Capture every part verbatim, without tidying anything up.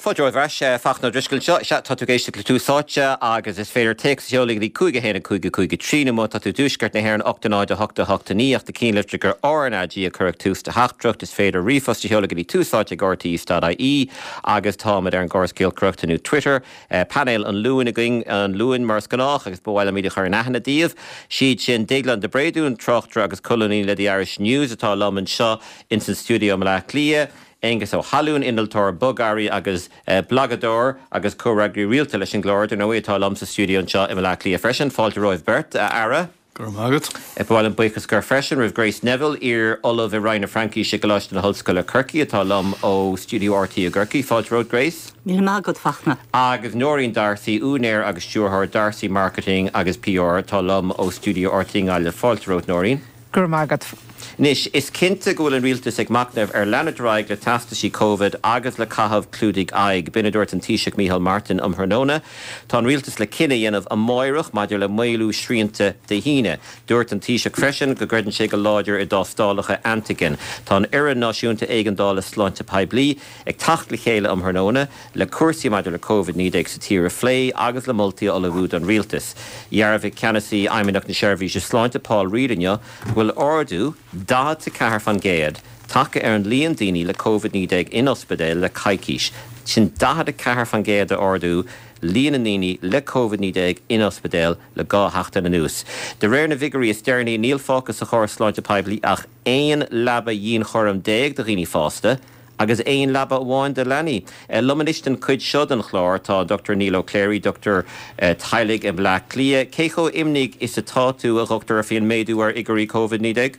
Fáilte romhaibh ar ais Fachtna Ó Drisceoil anseo. Sea, tá tú ag éisteacht le Tús Áite agus is féidir téacs a sheoladh go dtí cúig a haon a cúig a cúig a trí nó má tá tú i dtuaisceart na hÉireann ocht a náid a hocht a hocht a naoi ach ná cinnte gur RnaG a chuirfeadh tús do theachtaireacht. Is féidir ríomhphost a sheoladh go dtí túsáite ag rte.ie agus táimid ar an gcóras giolcaireachta nó Twitter. Painéal an Luain againn an Luain mar is gnách agus ba mhaith liom iad a chur in aithne daoibh. Siad sin Déaglán de Bréadún, tráchtaire agus colúnaí le The Irish News atá liom anseo in san stiúideo i mBaile Átha Cliath. Aengus Ó hAlúin, innealtóir bogearraí agus blagadóir agus comhfhreagraí rialta leis an gclár dar ndóigh atá liom sa stiúideo anseo i mBaile Átha Cliath freisin. Fáilte romhaibh beirt a fheara. Go raibh maith agat. Ba mhaith liom buíochas a chur freisin roimh Grace Neville, iar-ollamh i Roinn na Fraincise i gColáiste na hOllscoile Corcaigh atá liom ó Stiúideo RTÉ i gCorcaigh. Fáilte romhat Grace. Míle maith agat Fachtna. Agus Nóirín D'Arcy, úinéir agus stiúrthóir D'Arcy Marketing agus PR atá liom ó Stiúideo RTÉ i nGaillimh. Fáilte romhat Nóirín. Go raibh maith agat. Anois, is cinnte go bhfuil an rialtas ag machnamh ar leanúint ar aghaidh le teastaisí Covid agus le caitheamh clúdaigh aghaidh. B'in a dúirt an Taoiseach Micheál Martin um thráthnóna. Tá an rialtas le cinneadh a dhéanamh amárach maidir le maolú srianta Dé hAoine. Dúirt an Taoiseach freisin go gcreideann sé go láidir i dtástálacha antigen. Tá an Fhoireann Náisiúnta Éigeandála Sláinte Poiblí ag teacht le chéile um thráthnóna le cúrsaí maidir le Covid naoi déag sa tír a phlé agus le moltaí a ullmhú don rialtas. Dhearbhaigh ceannasaí Fheidhmeannacht na Seirbhíse Sláinte Paul Reid inniu go bhfuil ardú daichead a ceathair faoin gcéad tagtha ar an líon daoine le Covid naoi déag in ospidéal le coicís. Sin daichead a ceathair faoin gcéad a ardú líon na ndaoine le Covid naoi déag in ospidéal le dhá sheachtain anuas. De réir na bhfigiúirí is deireanaí níl fágtha sa chóras sláinte poiblí ach aon leaba dhianchúraim déag do dhaoine fásta, agus aon leaba amháin do leanaí. Liom anois den chuid seo den chlár tá Dr Neil O'Clery, Dr teaghlaigh i mBleá Cliath. Cé chomh imníoch is atá tú a dhochtúir faoin méadú ar fhigiúirí Covid naoi déag?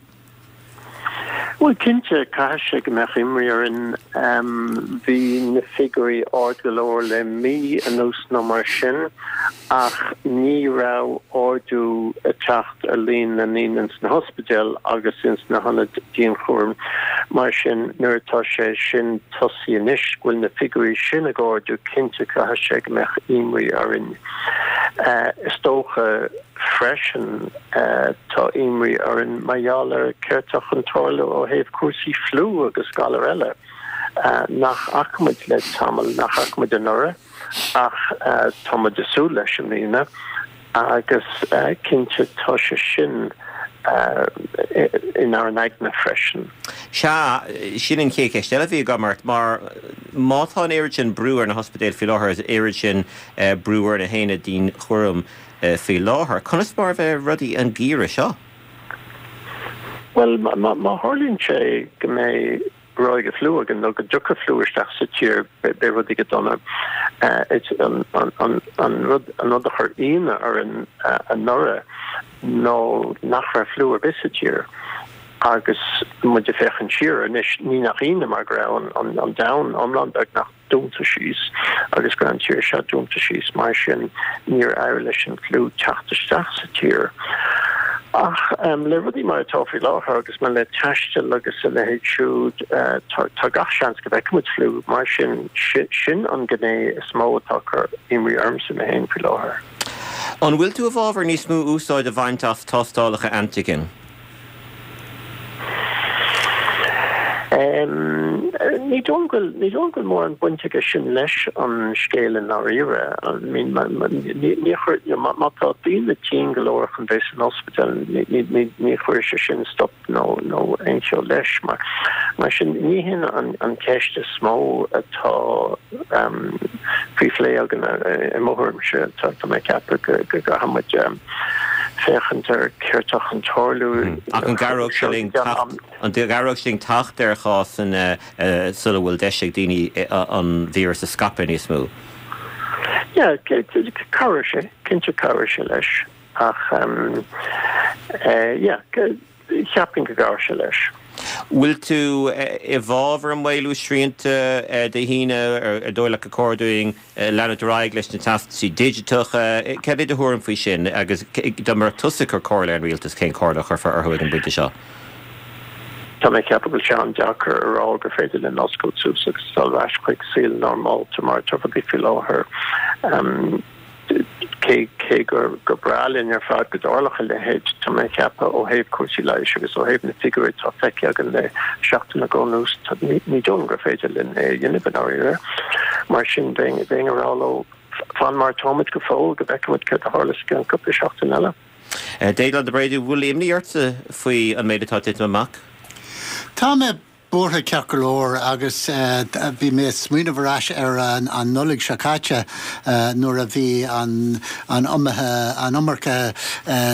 Bhuel cinnte caithfidh sé go mbeadh imní orainn bhí na figiúirí ard go leor le mí anuas nó mar sin ach ní raibh ardú ag teacht ar líon na ndaoine ins na hospidéil agus ins na hionaid dianchúraim. Mar sin nuair atá sé sin tosaithe anois go bhfuil na figiúirí sin ag ardú cinnte caithfidh sé go mbeadh imní orainn. Is dócha freisin tá imní orainn mar gheall ar céard atá chun tarlú ó thaobh cúrsaí fliú agus galar eile nach bhfaca muid le tamall nach bhfaca muid anuraidh ach tá muid ag súil leis i mbliana agus cinnte tá sé sin inár n-aigne freisin. Sea, sin an chéad cheist eile a bhí agam ort, mar má tá an oiread sin brú ar na hospidéil faoi láthair is oiread sin brú ar na haonaid dianchúraim faoi láthair, conas mar a bheidh rudaí an geimhreadh seo? Bhuel, má tharlaíonn sé go mbeidh ráig fliú againn nó go dtiocfaidh fliú isteach sa tír beidh rudaí go dona. An rud an rud a chuir ionadh orainn anuraidh nó nach raibh fliú ar bith sa tír agus muid ag féachaint siar anois ní nach ionadh mar go raibh an an domhan iomlán beagnach dúnta síos agus go raibh an tír seo dúnta síos mar sin níor éirigh leis an fliú teacht isteach sa tír. Ach le rudaí mar atá faoi láthair agus mar le taisteal agus a leithéid siúd tá gach seans go bhfeicfimid fliú mar sin sin an gné is mó atá ag cur imní ormsa mé féin faoi láthair. An bhfuil tú i bhfabhar níos mó úsáid a bhaint as tástálacha antigen? Ní dóigh go ní dóigh go bhfuil mórán baint aige sin leis an scéal i ndáiríre. I mean ní chuir má tá daoine tinn go leor chun bheith san ospidéal ní ní ní chuirfidh sé sin stop nó nó aon cheo leis. Mar mar sin ní hin an an ceist is mó atá faoi phlé againn i mo thuairimse. Tá tá mé ag ceapadh go go gcaithfidh muid féachaint ar céard atá chun tarlú. Ach an gcabhródh sé linn teacht an gcabhródh sé linn teacht ar chásanna sula bhfuil deis ag daoine an víreas a scaipeadh níos mó? Yeah, cabhróidh sé, cinnte cabhróidh sé leis ach yeah, cheapfainn go gcabhróidh sé leis. Bhfuil tú i bhfabhar an maolú srianta Dé hAoine ar dóigh leat gur chóir dúinn leanúint ar aghaidh leis na teastaisí digiteacha? Cad é do thuairim faoi sin agus dá mbeadh tusa ag cur comhairle ar an rialtas, cén chomhairle a chuirfeá orthu ag an bpointe seo? Tá mé ag ceapadh go bhfuil sé an-deacair a rá gur féidir linn oscailt suas agus dul ar ais chuig saol normálta mar atá rudaí faoi láthair. Cé cé gur gur breá linn ar fad go dtarlódh a leithéid, tá mé ag ceapadh ó thaobh cúrsaí leighis agus ó thaobh na figiúirí atá feicthe againn le seachtain nó dhó anuas, ní ní dóigh liom gur féidir linn é a dhéanamh i ndáiríre. Mar sin bheinn ag rá leo fan mar táimid go fóill go bhfeicfimid céard a tharlós i gceann cúpla seachtain eile. Déaglán de Bréadú, bhfuil imní ortsa faoi an méid atá titim amach? Tá mé buartha ceart go leor agus bhí mé smaoineamh ar ais ar an an Nollaig seo caite nuair a bhí an an an iomarca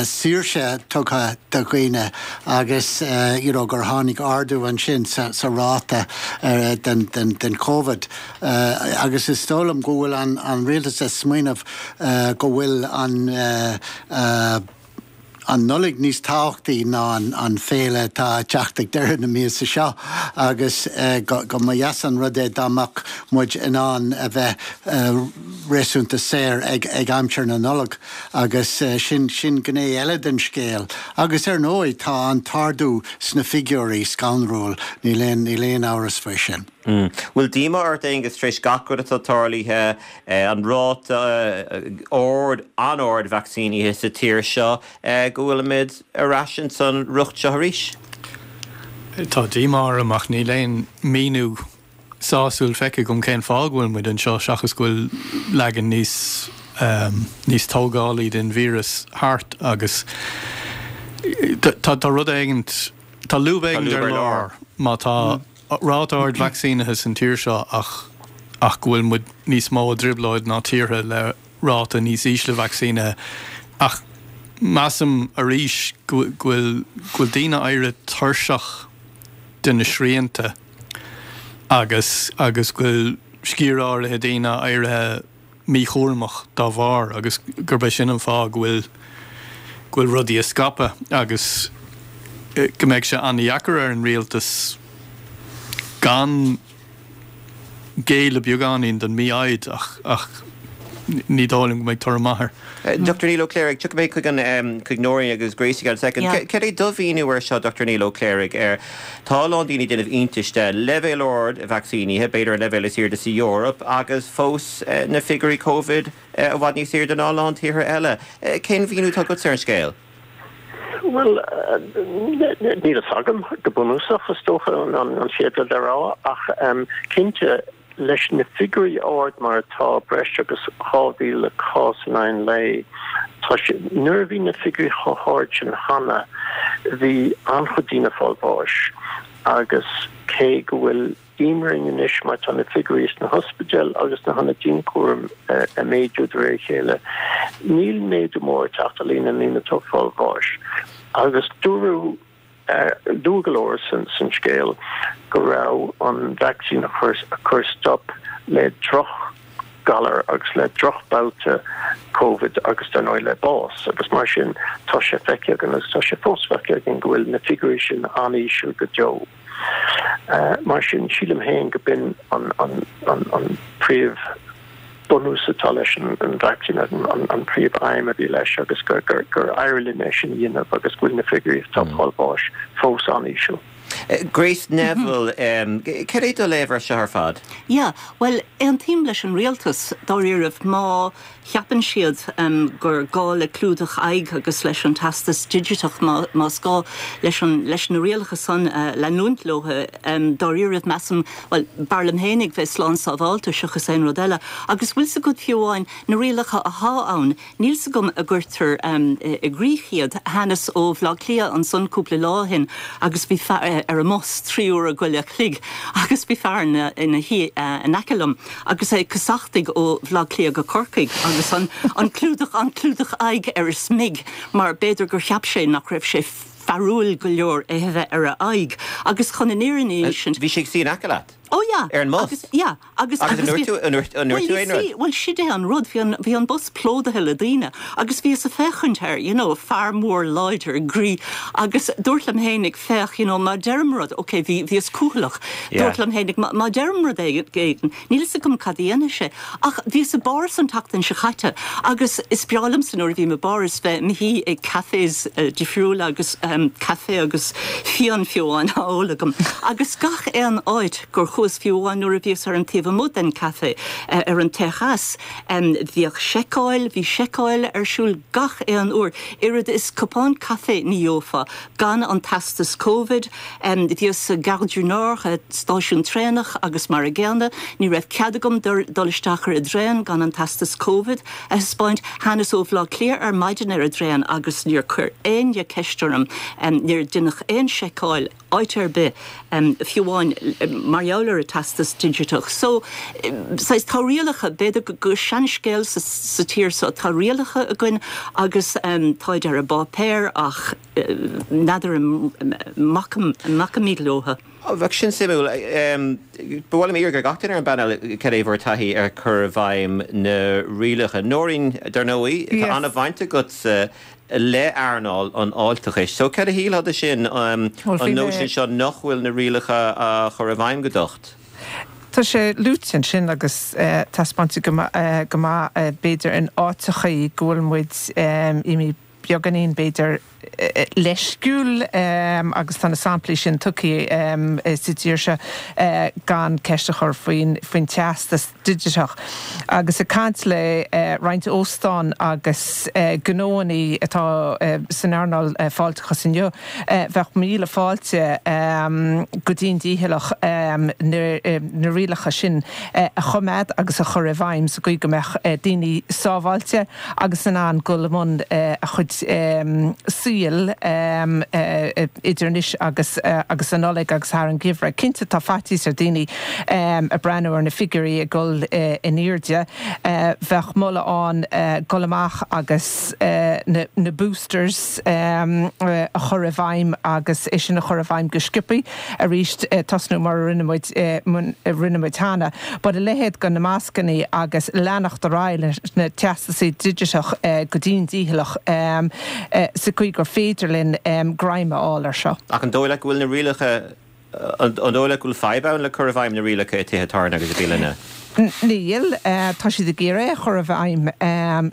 saoirse tugtha do dhaoine agus you know, gur tháinig ardú ansin sa, sa ráta den, den, den COVID. Agus is dóigh liom go bhfuil an, an rialtas ag smaoineamh go bhfuil an uh, an Nollaig níos tábhachtaí ná an, an féile atá teacht ag deireadh na míosa seo agus uh, go, go mba dheas an rud é dá mbeadh muid in ann a bheith uh, réasúnta saor ag, ag aimsir na Nollag agus uh, sin sin gné eile den scéal. Agus ar ndóigh tá an t-ardú sna figiúirí scanrúil níl aon níl aon amhras faoi sin. Mm. Bhfuil díomá ort Aengus tar éis gach rud atá tarlaithe an ráta ard an-ard vacsaínithe sa tír seo go bhfuilimid ar ais san riocht seo arís? Tá díomá orm ach níl aon míniú sásúil feicthe agam cén fáth go bhfuil muid anseo seachas go bhfuil leagan níos um, níos tógálaí den víreas thart agus tá tá rud éigin tá lúb éigin ar lár má tá mm. ráta ard vacsaínithe san tír seo ach ach go bhfuil muid níos mó i dtrioblóid ná tíortha le ráta níos ísle vacsaínithe ach measaim arís go bhfuil go bhfuil daoine éirithe tuirseach de na srianta agus agus go bhfuil sciar áirithe daoine éirithe míchúramach dá bharr agus gurb é sin an fáth go bhfuil go bhfuil rudaí ag scaipeadh agus go mbeidh sé an-deacair ar an rialtas gan géilleadh beagáinín don mhí-ádh ach ach ní dóigh liom go mbeidh toradh maith air. Dr Neil Ó Cléirigh, tiocfaidh mé chuig an chuig Nóirín agus Gracie gan second. Cad é do mhíniú ar seo Dr Neil Ó Cléirigh ar tá lán daoine ag déanamh iontais de leibhéal ard vacsaínithe, b'fhéidir an leibhéal is airde sa Eoraip agus fós na figiúirí COVID i bhfad níos airde ná lán tíortha eile. Cén mhíniú atá agat ar an scéal? Well níl a fhios agam go bunúsach is dócha an chéad rud a rá ach um, cinnte leis na figiúirí ard mar atá breis agus dhá mhíle cás in aon lae tá nuair a bhí na figiúirí chomh hard sin cheana bhí an-chuid daoine ag fáil bháis agus cé go bhfuil imní anois mar tá na figiúirí sna hospidéil agus na hionaid dianchúraim ag méadú de réir a chéile. Níl méadú mór ag teacht ar líon na ndaoine atá ag fáil bháis. Agus dúradh dúradh go leor san san scéal go raibh an vacsaín a chur a chur stop le drochghalar agus le drochbhabhta COVID agus dar ndóigh le bás agus mar sin tá sé feicthe againn agus tá sé fós feicthe againn go bhfuil na figiúirí sin an-íseal go deo. Uh, mar sin sílim féin go b'in an, an, an, an príomh bunús atá leis an, an vacsaín an, an, an príomh aidhm a bhí leis agus gur, gur, gur éirigh linn é sin a dhéanamh agus go bhfuil na figiúirí atá ag fáil bháis fós an-íseal. Grace Neville, um, cad é do léamh air seo ar fad? Yeah, well aontaím leis an rialtas dáiríribh má cheapann siad um, gur gá le clúdach aghaidh agus leis an teastas digiteach más gá leis an leis na rialacha san uh, leanúint leo um, dáiríribh measaim well, b'fhearr liom féinig bheith slán sábháilte seachas aon rud eile. Agus bhfuil a fhios agat fiú amháin na rialacha atá ann, Níl a fhios agam an gcuirtear um, i gcrích iad thánas ó Bhaile Átha Cliath ansan cúpla lá ó shin agus bhí ar an mbus trí uair go leith chloig agus bhí fear ina shuí in aice liom agus é ag casachtaigh ó Bhaile Átha Cliath go Corcaigh agus an, an clúdach an clúdach aghaidh ar a smig mar b'fhéidir gur cheap sé nach raibh sé fearúil go leor é bheith ar a aghaidh agus chun an fhírinne sin. Bhí sé ina aice leat? Oh yeah. Ar an mbus? Yeah. Agus agus Well sin é an rud bhí an bus plódaithe le daoine agus bhíos ag féachaint air you know, fear mór láidir groí agus dúirt liom féinig féach you know, má deirim rud ok bhí bhíos cúthalach dúirt liom féinig má deirim rud éigin níl a fhios agam cad a dhéanfaidh sé ach bhíos i bPáras an tseachtain seo caite agus is breá liomsa nuair a bhím i bPáras bheith i mo shuí ag cafés uh, difriúla agus um, caife agus fíon fiú amháin á ól agam agus gach aon áit gur chuaigh Chuas fiú amháin nuair a bhíos ar an taobh amuigh den café ar an terrace, bhíodh seiceáil, bhí seiceáil ar siúl gach aon uair. Oiread is cupán caife ní gheofá gan an teastas Covid. Bhíos sa Gare du Nord, stáisiún traenach agus mar a gcéanna, ní raibh cead agam dul isteach ar an dtraein gan an teastas Covid a thaispeáint. Thánas ó Bhaile Átha Cliath ar maidin ar an dtraein agus níor chuir éinne ceist orm, níor deineadh aon seiceáil áit ar bith, fiú amháin mar gheall ar an teastas digiteach. So, saghas, tá rialacha, b'fhéidir gur seanscéal sa tír seo, tá rialacha againn agus táid ar an bpáipéar ach n'fheadar an mbacaimid leo. Bheadh sin suimiúil. Ba mhaith liom iarraidh ar gach duine ar an bpainéal cad é bhur taithí ar chur i bhfeidhm na rialacha. Nóirín, dar ndóigh, tá an-bhaint agatsa le earnáil an fháilteachais. So cad a shílfeá de sin, an nóisean seo nach bhfuil na rialacha á chur i bhfeidhm go docht? Tá sé luaite ansin agus taispeánta go maith b'fhéidir in áiteachaí go bhfuil muid imithe beagáinín b'fhéidir leisciúil agus tá na samplaí sin tugtha sa tír seo gan ceist a chur faoin faoin teastas digiteach. Agus ag caint le roinnt óstán agus gnóannaí atá san earnáil fáilteachais inniu, bheadh míle fáilte go dian dícheallach na rialacha sin a choimeád agus a chur i bhfeidhm sa gcaoi go mbeadh daoine sábháilte agus in ann dul i mbun a chuid saoil idir anois agus agus an Nollaig agus thar an gheimhreadh. Cinnte tá faitíos ar daoine ag breathnú ar na figiúirí ag dul in airde. Bheadh moladh ann dul amach agus na boosters a chur i bhfeidhm agus é sin a chur i bhfeidhm go sciobtha arís tosnú mar a rinne muid rinne muid cheana. But a leithéid de na mascannaí agus leanacht ar aghaidh leis na teastasaí digiteach go dian dícheallach sa chaoi gur féidir linn greim a fháil ar seo. Ach an dóigh leat go bhfuil na rialacha, an dóigh leat go bhfuil fadhb ann le cur i bhfeidhm na rialacha i tithe tábhairne agus i bialanna? Níl. Tá siad ag iarraidh é a chur i bhfeidhm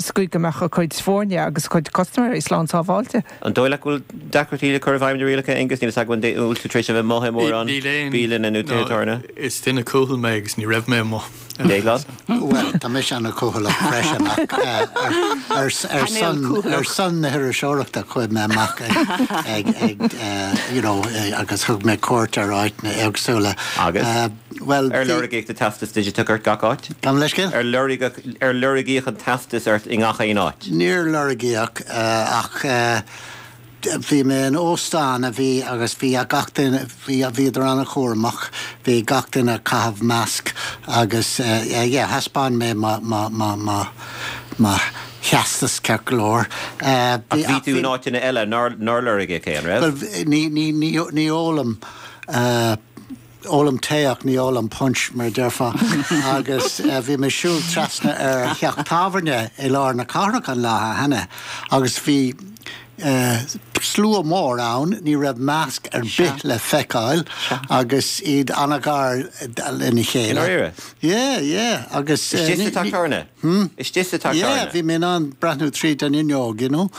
sa chaoi go mbeadh a gcuid foirne agus a gcuid custaiméirí slán sábháilte. An dóigh leat go bhfuil deacrachtaí le cur i bhfeidhm na rialacha, Aengus? Níl a fhios agam an bhfuil tú tar éis a bheith amuigh i mórán bialanna nó tithe tábhairne? Is duine cúthail mé agus ní raibh mé amuigh. Déaglán? Bhuel, tá mise an-chúthaileach freisin ach ar son ar son na hiriseoireachta chuaigh mé amach ag ag you know agus thug mé cuairt ar áiteanna éagsúla. Agus? Bhuel, Ar lorgaíodh do teastas digiteach ort gach áit? Gabh mo leithscéal? Ar lorgaíodh ar lorgaíodh an teastas ort i ngach aon áit? Níor lorgaíodh ach Bhí mé in óstán a bhí agus bhí gach duine, bhí, bhíodar an-chúramach, bhí gach duine ag caitheamh masc agus yeah, thaispeáin mé mo, mo, mo, mo, mo theastas ceart go leor. Ach bhí tú in áiteanna eile nár, nár lorgaíodh é, an raibh? Bhuel, ní, ní, ní, ní ólaim, Ólaim tae ach ní ólaim punch, mar a déarfá. Agus bhí mé ag siúl trasna ar theach tábhairne i lár na cathrach an lá cheana agus bhí slua mór ann, ní raibh masc ar bith le feiceáil agus iad an-ghar lena chéile. I ndáiríre? Yeah, yeah, agus. Istigh sa teach tábhairne? Istigh sa teach tábhairne? Yeah, bhí mé in ann breathnú tríd an fhuinneog, you know,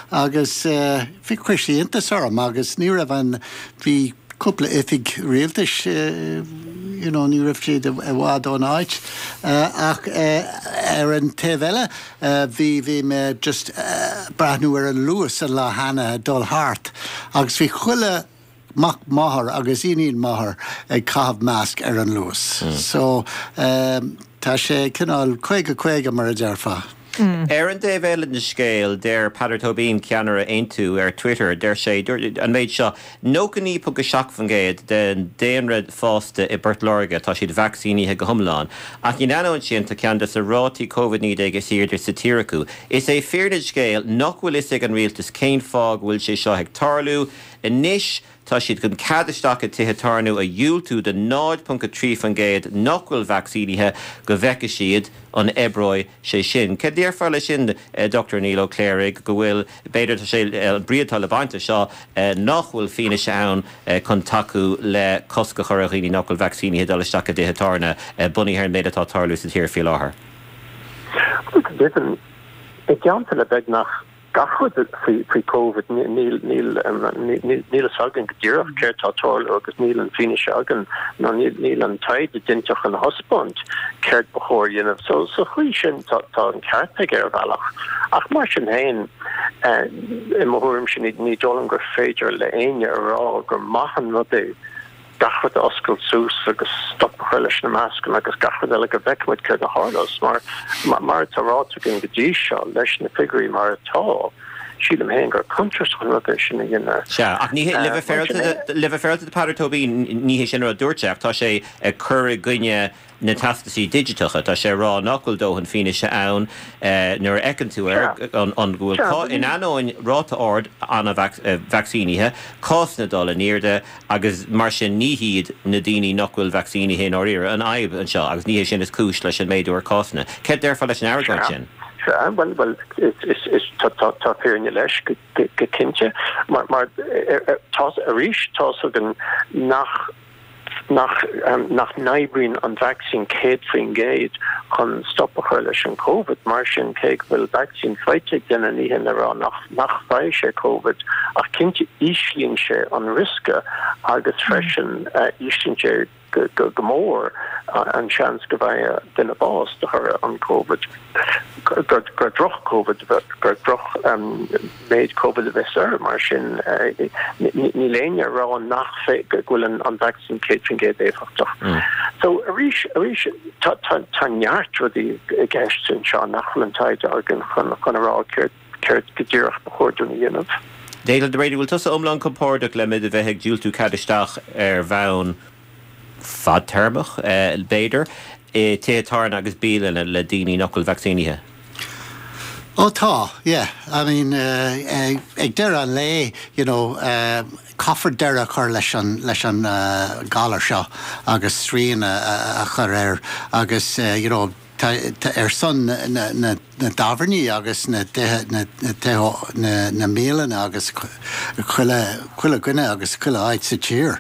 agus bhí, chuir sé iontas orm agus ní raibh an, bhí, cúpla oifig rialtais, you know, ní raibh siad i bhfad ón áit. Ach ar an taobh eile, bhí, bhí mé just breathnú ar an Luas an lá cheana ag dul thart agus bhí chuile mac máthar agus iníon máthar ag caitheamh masc ar an Luas. So, tá sé cineál caoga caoga mar a déarfá. Ar an dtaobh eile den scéal, deir Peadar Tóibín, ceannaire Aontú, ar Twitter, deir sé an méid seo, nócha naoi ponc a seacht faoin gcéad den daonra fásta i bPort Láirge, tá siad vacsaínithe go hiomlán. Ach in ainneoin sin, tá ceann de na rátaí Covid naoi déag is airde sa tír acu. Is é fírinne an scéil nach bhfuil fhios ag an rialtas cén fáth go bhfuil sé seo ag tarlú anois. Tá siad chun cead isteach i dtithe tábhairne a dhiúltú do náid ponc a trí faoin gcéad nach bhfuil vacsaínithe go bhfeicfidh siad an oibreoidh sé sin. Cad déarfá leis sin, Dochtúir Niall Ó Cléirigh, go bhfuil, b'fhéidir, tá sé, an brí atá le baint as seo, nach bhfuil fianaise ann chun tacú le cosc a chur ar dhaoine nach bhfuil vacsaínithe dul isteach i dtithe tábhairne, bunaithe ar an méid atá ag tarlú sa tír faoi láthair? Bhuel, go deimhin, i dteannta le beagnach gach rud faoi faoi Covid níl níl níl níl a fhios againn go díreach céard tá ag tarlú agus níl an fianaise againn nó níl níl an taighde déanta chun a thaispeáint céard ba chóir a dhéanamh. So sa chaoi sin tá tá an ceart aige ar bhealach. Ach mar sin féin i mo thuairimse ní ní dóigh liom gur féidir le éinne a rá gur maith an rud é gach rud a oscailt suas agus stop a chur leis na mascanna agus gach rud eile go bhfeicfidh muid céard a tharlós mar mar atá ráite againn go dtí seo leis na figiúirí mar atá, sílim féin gur contúirteach an rud é sin a dhéanamh. Sea, ach ní hé, le bheith féaráilte, le bheith féaráilte do Peadar Tóibín, ní hé sin an rud a dúirt sé ach tá sé ag cur i gcoinne na teastaisí digiteacha. Tá sé ag rá nach bhfuil dóthain fianaise ann nuair a fheiceann tú ar an go bhfuil, in ainneoin ráta ard an-vacsaínithe, cásanna ag dul in airde agus mar sin ní hiad na daoine nach bhfuil vacsaínithe i ndáiríre an fhadhb anseo agus ní hé sin is cúis leis an méadú ar cásanna. Céard déarfá leis an argóint sin? Sea, bhuel, bhuel, is, is, tá, tá, tá fírinne leis go, go cinnte. Mar, mar, tá, arís, tá's againn nach, nach nach n-oibríonn an vacsaín céad faoin gcéad chun stop a chur leis an Covid. Mar sin, cé go bhfuil vacsaín faighte ag duine, ní hin le rá nach nach bhfaighidh sé Covid, ach cinnte íslíonn sé an riosca agus freisin íslíonn sé go go mór an seans go bhfaigheadh duine bás de thoradh an Covid, gur gur droch Covid, gur droch méid Covid a bheas air. Mar sin, níl éinne ag rá nach go bhfuil an vacsaín céad faoin gcéad éifeachtach. So arís, arís, tá tá tá neart rudaí i gceist anseo nach bhfuil an taighde againn chun chun a rá céard céard go díreach ba chóir dúinn a dhéanamh. Declan Brady, bhfuil tusa iomlán compordach le muid a bheith ag diúltú cead isteach ar bhonn fadtéarmach, b'fhéidir, i tithe tábhairne agus bialanna le daoine nach bhfuil vacsaínithe? Ó tá, yeah. I mean, ag deireadh an lae, you know, caithfear deireadh a chur leis an, leis an galar seo agus srian a chur air agus, you know, ar son na na dtábhairní agus na na na na mbialanna agus chuile chuile dhuine agus chuile áit sa tír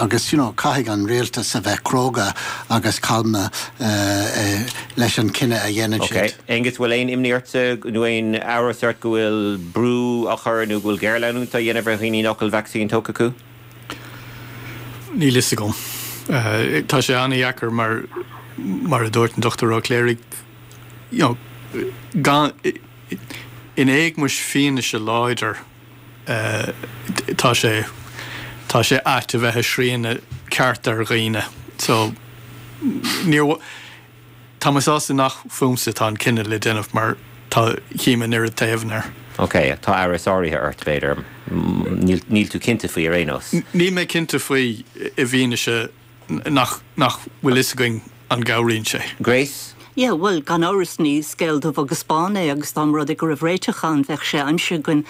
agus you know caithfidh an rialtas a bheith cróga agus calma leis an cinneadh a dhéanann siad. Ok. Aengus, bhfuil aon imní ort nó aon amhras ort go bhfuil brú á chur nó go bhfuil géarleanúint á dhéanamh ar dhaoine nach bhfuil vacsaín tógtha acu? Níl fhios agam. Tá sé an-dheacair mar mar a dúirt an Dochtúir Ó Cléirigh, you know, gan, in éagmais fianaise láidir, tá sé, tá sé ait a bheith ag srianadh ceart ar dhaoine. So, níor, tá mé sásta nach fúmsa atá an cinneadh le déanamh mar tá, chím an oiread taobhanna air. Ok, tá amhras áirithe ort, b'fhéidir. Níl, níl tú cinnte faoi ar aon nós. Níl mé cinnte faoi i bhfianaise nach, nach bhfuil fhios againn an gcabhraíonn sé. Grace? Yeah, bhuel, gan amhras ní scéal dubh agus bán é agus dá mba rud é go raibh réiteach ann bheadh sé aimsithe againn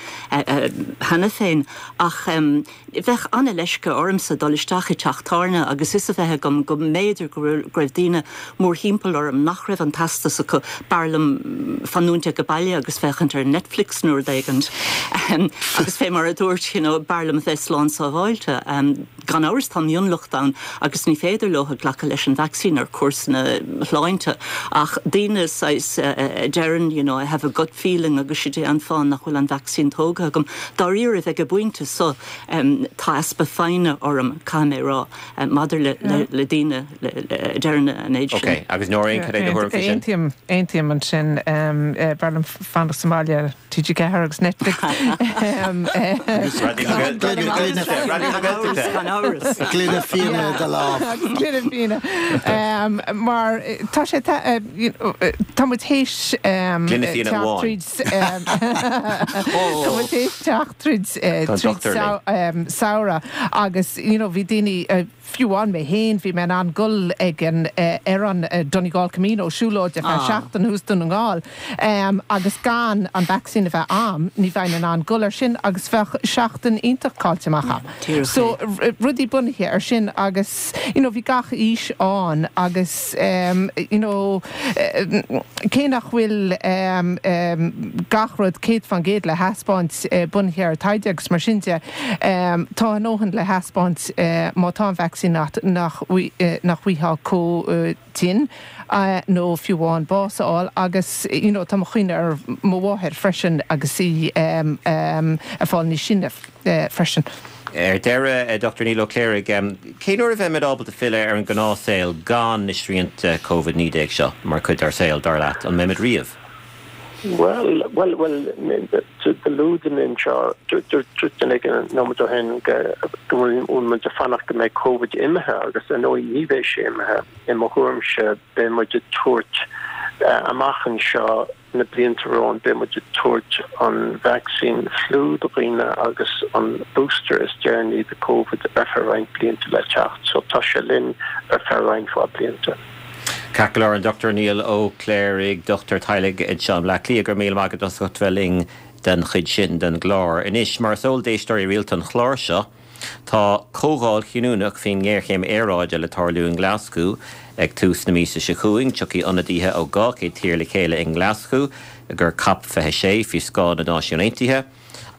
cheana féin. Ach bheadh an-leisce ormsa dul isteach i dteach tábhairne agus fhios a bheith agam go mb'fhéidir go raibh daoine mórthimpeall orm nach raibh an teastas acu. B'fhearr liom fanúint ag baile agus féachaint ar Netflix nó rud éigint. Agus fé mar a dúirt, you know, b'fhearr liom a bheith slán sábháilte. Gan amhras tá mionlach ann agus ní féidir leo glacadh leis an vacsaín ar chúrsaí sláinte ach daoine saghas a deireann you know I have a gut feeling agus sin é an fáth nach bhfuil an vacsaín tógtha agam. Dáiríre ag an bpointe so tá easpa foighne orm caithfidh mé rá maidir le le daoine a deireann an méid sin. Ok, agus Nóirín, cad é do thuairim faoi sin? Aontaím, aontaím ansin. B'fhearr liom fanacht sa mbaile T G ceathair agus Netflix. Gloine fíona i do lámh. Gloine fíona. Mar tá sé tá muid théis Gloine fíona teacht amháin. tríd Tá muid théis teacht tríd Tá an tríd dochtúir linn. samhradh agus you know bhí daoine fiú amháin mé féin bhí mé in ann dul ag an ar an Donegal Camino siúlóid ar feadh seachtain thuas Dún na nGall agus gan an vacsaín a bheith a'm ní bheinn in ann dul ar sin agus bheadh seachtain iontach caillte amach a'm. So rudaí bunaithe ar sin agus you know bhí gach aois ann agus you know cé nach bhfuil gach rud céad faoin gcéad le thaispeáint bunaithe ar taighde agus mar sin de tá a ndóthain le thaispeáint má tá an vacsaín vacsaín nach nach bhfaighfeá chomh tinn nó fiú amháin bás a fháil agus you know tá mo chuimhne ar mo mháthair freisin agus í ag fáil níos sine freisin. Ar deireadh, Dochtúir Niall Ó Cléirigh, cén uair a bheimid ábalta filleadh ar an ngnáthshaol gan na srianta Covid naoi déag seo mar chuid dár saol, dar leat? An mbeimid riamh? Bhuel, bhuel, bhuel, luaigh duine anseo, dúirt duine éigin nóiméad ó shin go bhfuil muid ag fanacht go mbeidh Covid imithe agus ar ndóigh ní bheidh sé imithe. I mo thuairimse beidh muid ag tabhairt amach anseo na blianta romhainn, beidh muid ag tabhairt an vacsaín fliú do dhaoine agus an booster is deireanaí do Covid ar feadh roinnt blianta le teacht. So tá sé linn ar feadh roinnt mhaith blianta. Ceart go leor, an Dochtúir Niall Ó Cléirigh, dochtúir teaghlaigh anseo i mBleá Cliath, go raibh míle maith agat as ucht bheith linn den chuid sin den gclár. Anois, mar is eol d'éisteoirí rialta an chláir seo, tá comhdháil chinniúnach faoin ngéarchéim aeráide le tarlú i nGlaschú ag tús na míosa seo chugainn. Tiocfaidh ionadaithe ó dhá chéad tír le chéile i nGlaschú i gcomhair Cop fiche sé faoi scáth na Náisiún Aontaithe.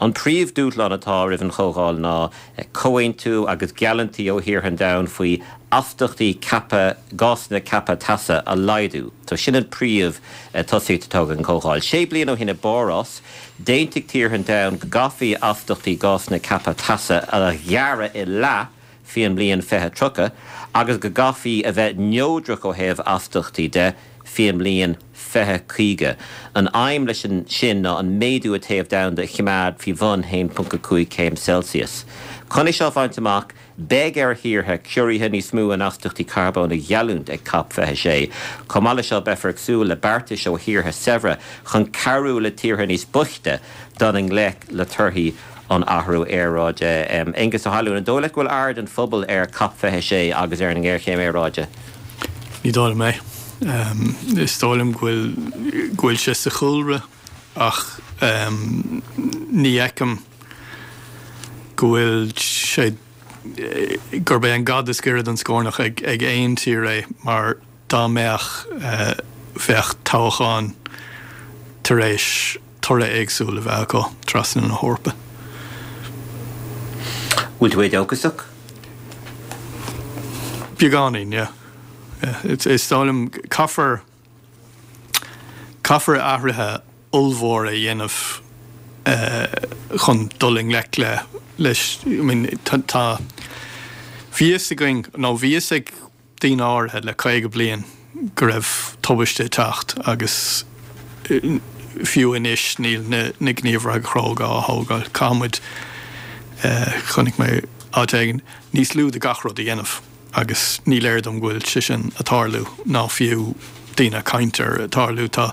An príomhdhúshlán atá roimh an chomhdháil ná comhaontú agus geallúintí ó thíortha an domhain faoi astachtaí ceaptha gásanna ceaptha teasa a laghdú. So sin an príomh tosaíocht atá ag an chomhdháil. Sé bliana ó shin i bPáras, d'aontaigh tíortha an domhain go gcaithfí astachtaí gásanna ceaptha teasa a ghearradh i leath faoin mbliain fiche tríocha agus go gcaithfí a bheith neodrach ó thaobh astachtaí de faoin mbliain fiche caoga. An aidhm leis sin ná an méadú a téamh domhanda a choimeád faoi bhun haon ponc a cúig céim Celsius. Chun é seo a bhaint amach, beidh ar thíortha ciorruithe níos mó in astachtaí carbóin a gheallúint ag Cop fiche sé. Chomh maith leis seo, beifear ag súil le beartais ó thíortha saibhre chun cabhrú le tíortha níos boichte dul i ngleic le torthaí an athrú aeráide. Aengus Ó hAlmhain, an dóigh leat go bhfuil aird an phobail ar Cop fiche sé agus ar an ngéarchéim aeráide? Ní dóigh liom é. Is dóigh liom go bhfuil go bhfuil sé sa chúlra ach ní fheicim go bhfuil sé gurb é an gad is giorra don scornach ag ag aon tír é mar dá mbeadh bheadh toghcháin tar éis toradh éagsúil a bheith acu trasna na hEorpa. Bhfuil tú éadóchasach? Beagáinín, yeah. Yeah, is dóigh liom caithfear caithfear athruithe ollmhóra a dhéanamh chun dul i ngleic le leis I mean tá tá bhí fhios againn nó bhí fhios ag daoine áirithe le caoga bliain go raibh tubaiste ag teacht agus fiú anois níl na na gníomhartha cróga á thógáil. Caithfidh muid chonaic mé áit éigin níos lú de gach rud a dhéanamh agus ní léir dom go bhfuil sé sin ag tarlú ná fiú daoine ag caint air ag tarlú. Tá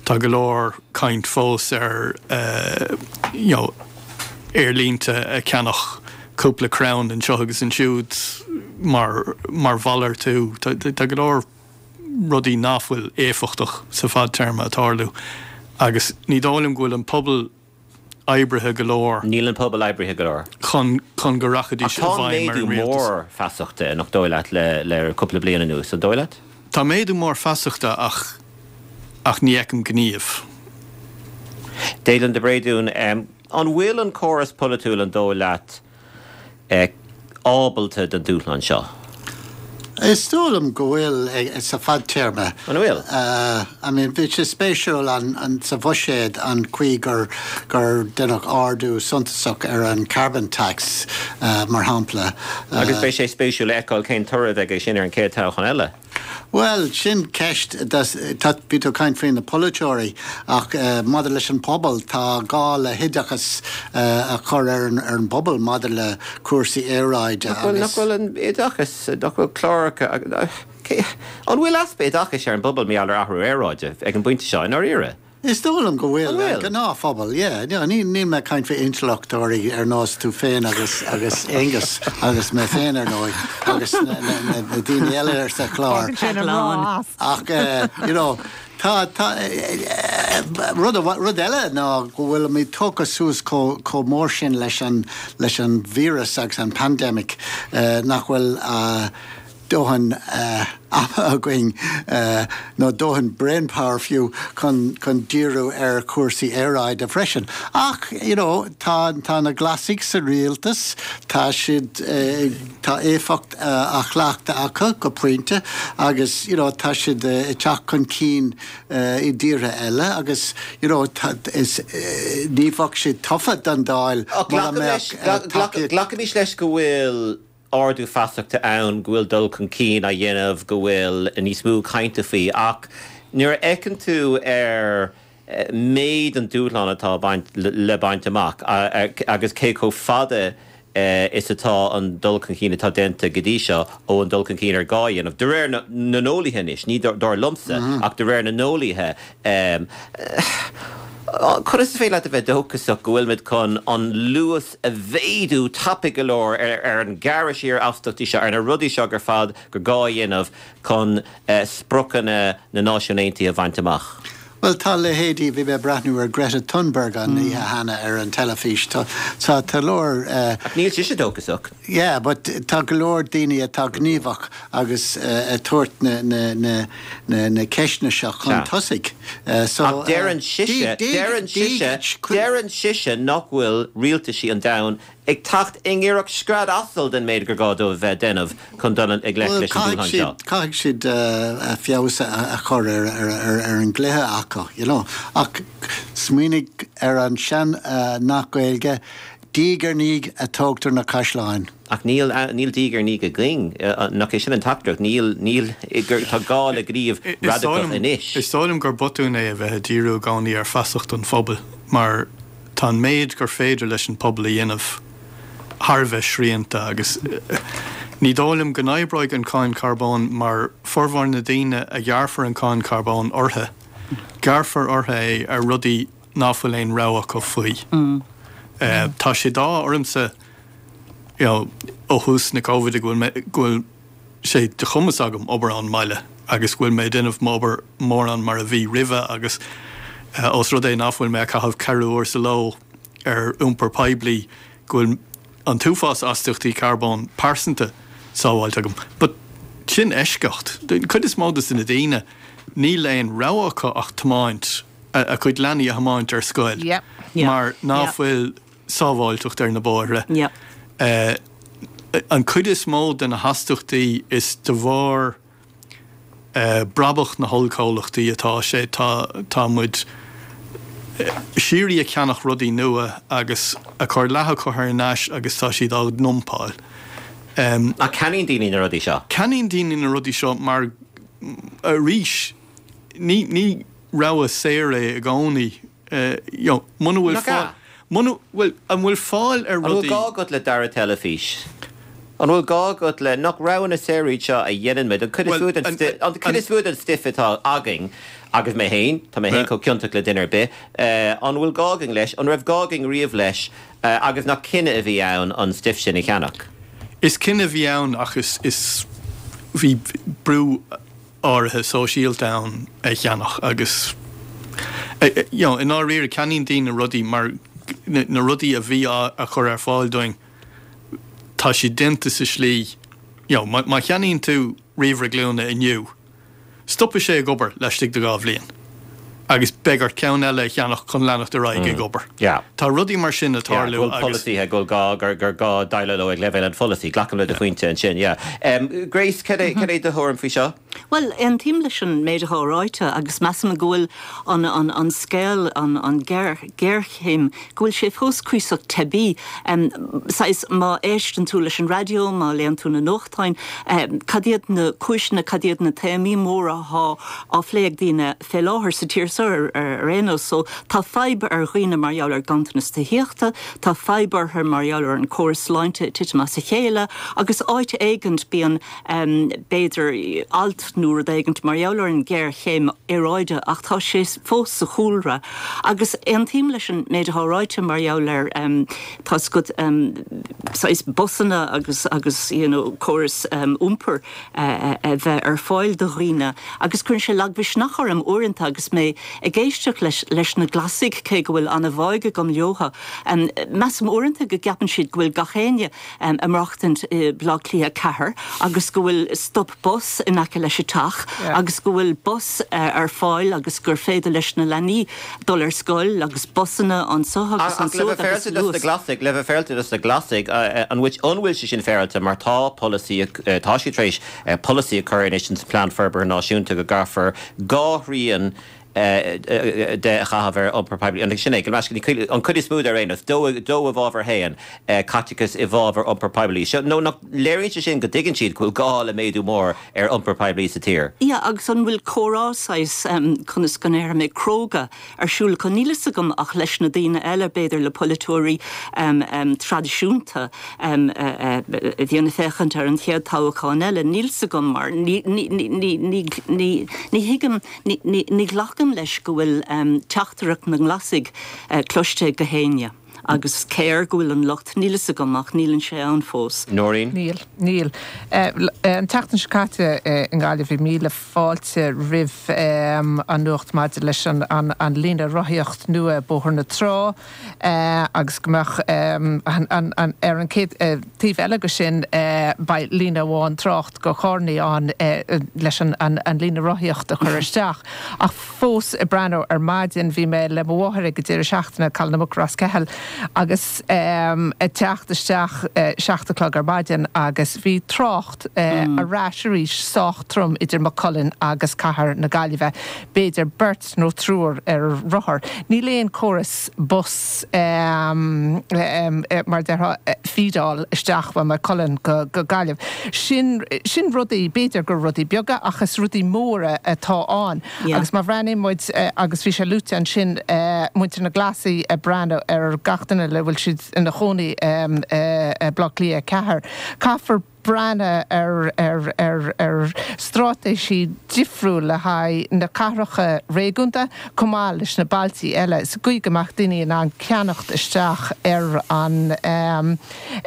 tá go leor caint fós ar you know aerlínte a cheannach cúpla crann anseo agus ansiúd mar mar mhalartú. Tá tá go leor rudaí nach bhfuil éifeachtach sa fadtéarma ag tarlú agus ní dóigh liom go bhfuil an pobal oibrithe go leor. Níl an pobal oibrithe go leor. Chun chun go rachaidís i Ach tá bhfeidhm ar méadú an rialtas. mór feasachta, nach dóigh leat, le le cúpla bliain anuas, an dóigh leat? Tá méadú mór feasachta ach ach ní fheicim gníomh. Declan de Bréadún, an bhfuil an córas polaitiúil, an dóigh leat, ábalta don dúshlán seo? Is dóigh liom go bhfuil sa fadtéarma. An bhfuil? I mean, bhí sé spéisiúil an sa bhuiséad an chaoi gur gur deineadh ardú suntasach ar an carbon tax, mar shampla. Agus beidh sé spéisiúil a fheiceáil cén toradh a bheidh aige sin ar an chéad toghchán eile. Bhuel, sin ceist. Tá, bhí tú ag caint faoi na polaiteoirí ach maidir leis an pobal, tá gá le hoideachas a chur ar an ar an bpobal maidir le cúrsaí aeráide Nach bhfuil, nach agus. bhfuil an oideachas, nach bhfuil cláracha, an bhfuil easpa oideachais ar an bpobal mar gheall ar athrú aeráide ag an bpointe seo i ndáiríre? Is dóigh liom go bhfuil, An bhfuil? an gnáthphobal, yeah. No, ní, níl mé ag caint faoi intleachtóirí ar nós tú féin agus, agus Aengus agus mé féin ar ndóigh agus na, na, na, na daoine eile ar sa chlár. Fágann sin an mná as. Ach, eh, you know, tá, tá, eh, eh, rud, amha- rud eile ná go bhfuilimid tógtha suas chomh, chomh mór sin leis an, leis an víreas agus an pandemic, eh, nach bhfuil, eh, dóthain ama againn nó dóthain brainpower fiú chun chun díriú ar chúrsaí aeráide freisin. Ach you know, tá tá na Glasaigh sa rialtas, tá siad tá éifeacht á chleachtadh acu go pointe agus you know, tá siad ag teacht chun cinn i dtíortha eile agus you know, tá, is, ní bheadh siad tofa don Dáil mura mbeadh Glacaimis leis go bhfuil ardú feasachta ann, go bhfuil dul chun cinn á dhéanamh, go bhfuil níos mó cainte faoi, ach nuair a fhéachann tú ar méid an dúshlán atá baint, le baint amach agus cé chomh fada is atá an dul chun cinn atá déanta go dtí seo ó an dul chun cinn ar gá a dhéanamh, de réir na n-eolaithe anois, ní dar liomsa, ach de réir na n-eolaithe. Conas is féidir leat a bheith dóchasach go bhfuilimid chun an luas a mhéadú tapaidh go leor ar an ggearradh siar astaíochtaí seo, ar na rudaí seo ar fad gur gá a dhéanamh chun spriocanna na Náisiún Aontaithe a bhaint amach? Bhuel, tá leithéidí, bhí mé ag breathnú ar Greta Thunberg an oíche cheana ar an teilifís, tá, tá, tá leor. Ach níl sise dóchasach. Yeah, but tá go leor daoine atá gníomhach agus ag tabhairt na, na, na, na, na ceisteanna seo chun tosaigh. So, Ach deireann sise, deireann sise, deireann sise nach bhfuil rialtaisí an domhain ag teacht i ngiorracht scread asail den méid gur gá dóibh bheith ag déanamh chun dul i ngleic leis an dúshlán seo. Caithfidh siad feabhas a chur ar an gcluiche acu, you know. Ach smaoinigh ar an sean-nath Gaeilge, diaidh ar ndiaidh a tógtar na caisleáin. Ach níl níl diaidh ar ndiaidh againn, nach é sin an teachtaireacht? Níl, níl, tá gá le gníomh radacach anois. Is dóigh liom gur botún é a bheith ag díriú i gcónaí ar feasacht an phobail mar tá an méid gur féidir leis an pobal a dhéanamh thar a bheith srianta agus ní dóigh liom go n-oibreoidh an cáin carbóin mar formhór na daoine a ghearrfar an cáin carbóin orthu, gearrfar orthu é ar rudaí ná fuil aon rogha acu faoi. Tá sé d'ádh ormsa you know ó thús na Covid go bhfuil mé, go bhfuil sé de chumas agam obair ón mbaile agus go bhfuil mé ag déanamh m'obair mórán mar a bhí roimhe agus ós rud é ná fuil mé ag caitheamh ceithre uair sa ló ar iompar poiblí go bhfuil an t-uafás astaíochtaí carbóin pearsanta sábháilte agam. But sin eisceacht. Den chuid is mó de na daoine níl aon rogha acu ach tiomáint, a gcuid leanaí a thiomáint ar scoil mar ná fuil sábháilteacht ar na bóithre. An chuid is mó de na hastaíochtaí is de bharr brabach na hollchomhlachtaí atá sé. Tá tá muid síoraí ag ceannach rudaí nua agus ag cur leath acu thar n-ais agus tá siad á ndumpáil. Ach ceannaíonn daoine na rudaí seo? Ceannaíonn daoine na rudaí seo mar, arís, ní ní rogha saor é i gcónaí. You know, muna bhfuil Nach ea? fáil, muna, bhuel, an bhfuil fáil ar An bhfuil rudaí. gá agat le dara teilifís? An bhfuil gá agat le, nach roghanna saora iad seo a dhéanann muid, an cuid is Bhuel, mó den an, sti, an cuid an, is mó den stuif atá againn, agus mé féin, tá mé féin chomh ciontach le duine ar bith, an bhfuil gá againn leis, an raibh gá againn riamh leis, agus nach cinneadh a bhí ann an stuif sin a cheannach? Is cinneadh a bhí ann ach is, is, bhí brú áirithe sóisialta ann é a cheannach agus, you know, i ndáiríre ceannaíonn daoine rudaí mar na, na rudaí a bhí á a chur ar fáil dúinn, tá siad déanta sa slí, you know, má, má cheannaíonn tú ríomhaire glúine inniu, stopfaidh sé ag obair laistigh de dhá bhliain agus beidh ort ceann eile a cheannach chun leanacht ar aghaidh ag obair. Yeah. Tá rudaí mar sin ag Yeah, tarlú go bhfuil agus. polasaithe, go bhfuil gá, gur, gur gá déileáil leo ag leibhéal an pholasaí. Glacaim le do phointe ansin, yeah. Um, Grace, cad é, cad é do thuairim faoi seo? Bhuel, aontaím leis an méid atá ráite agus measaim go bhfuil an, an, an scéal, an, an géar, géarchéim, go bhfuil sé fós cuíosach teibí. Um, saghas, má éisteann tú leis an raidió, má léann tú na nuachtáin, um, cad iad na cúiseanna, cad iad na téamaí móra atá á phlé ag daoine fé láthair sa tír seo ar, ar, ar aon nós. So, tá fadhb ar dhaoine mar gheall ar ganntanas tithíochta, tá fadhb orthu mar gheall ar an córas sláinte ag titim as a chéile, agus áit éigint bíonn, um, b'fhéidir, alt nó rud éigint mar gheall ar an ghéarchéim aeráide ach tá sé fós sa chúlra. Agus aontaím leis an méid atá ráite mar gheall ar um, tá go um, saghas busanna agus agus you know, córas um, iompair uh, a bheith ar fáil do dhaoine agus cuireann sé lagmhisneach orm uaireanta agus mé ag éisteacht leis, leis na Glasaigh cé go bhfuil an-bhá agam leo. Um, Measaim uaireanta go gceapann siad go bhfuil gach éinne um, ag maireachtaint i Baile Átha Cliath ceathair agus go bhfuil stop bus in aice leis an teach yeah. agus go bhfuil bus uh, ar fáil agus gur féidir leis na leanaí dul ar scoil agus busanna anseo agus anseo agus na Glasaigh le bheith féaráilte dos na Glasaigh an which an bhfuil sé sin féaráilte mar tá polasaí tá siad tar éis polasaí a chur anois sa plean forbartha náisiúnta go gcaithfear dhá thrian de a chaitheamh ar iompar poiblí. An sin é an chuid is mó ar aon nós dó dó i bhfabhar haon caiteachas i bhfabhar iompar poiblí. So nó nach léiríonn sé sin go dtuigeann siad go bhfuil gá le méadú mór ar iompar poiblí sa tír. Ja agus an bhfuil comhrá saghas um, conas go ndéarfaidh mé cróga ar siúl chun níl a fhios agam ach leis na daoine eile b'fhéidir le polaiteoirí um, um, traidisiúnta um, uh, uh, bhíonn féachaint ar an chéad toghchán eile níl a fhios agam mar ní thuigim ní ghlacaim leis go bhfuil um, teachtaireacht na nGlasaigh uh, cloiste go héinne. agus cé go bhfuil an lucht níl a fhios agam ach níl sé ann fós. Nóirín? Níl, níl. Uh, an tseachtain seo caite uh, i nGaillimh bhí míle fáilte roimh um, an nuacht maidir leis an, an, an líne rothaíocht nua Bóthar na Trá uh, agus go mbeadh um, an, an, an, ar an céad uh, taobh eile go sin uh, beidh líne amháin trácht go carranna ann uh, leis an, an, an líne rothaíocht a chur isteach. Ach fós ag breathnú ar maidin bhí mé le mo mháthair ag deireadh seachtaine Caladh na Muc Ros Ceathail agus um, ag teacht isteach uh, seacht a chlog ar maidin agus bhí trácht uh, mm. ar ais arís sách trom idir Maigh Cuilinn agus cathair na Gaillimhe. B'fhéidir beirt nó triúr ar rothar. Níl aon córas bus um, um, mar déarfá feedáil isteach ó Maigh Cuilinn go, go Gaillimh. Sin, sin rudaí b'fhéidir gur rudaí beaga ach is rudaí móra atá ann. Yeah. Agus má bhreathnaíonn muid uh, agus bhí sé luaite ansin uh, muintir na Glasaigh ag breathnú ar gach duine le bhfuil siad ina chónaí um, uh, Baile Átha Cliath ceathair. Caithfear breathnú ar ar ar ar straitéisí difriúil le haghaidh na cathracha réigiúnda chomh maith leis na bailtí eile sa gcaoi go mbeadh daoine in ann ceannacht isteach ar an um,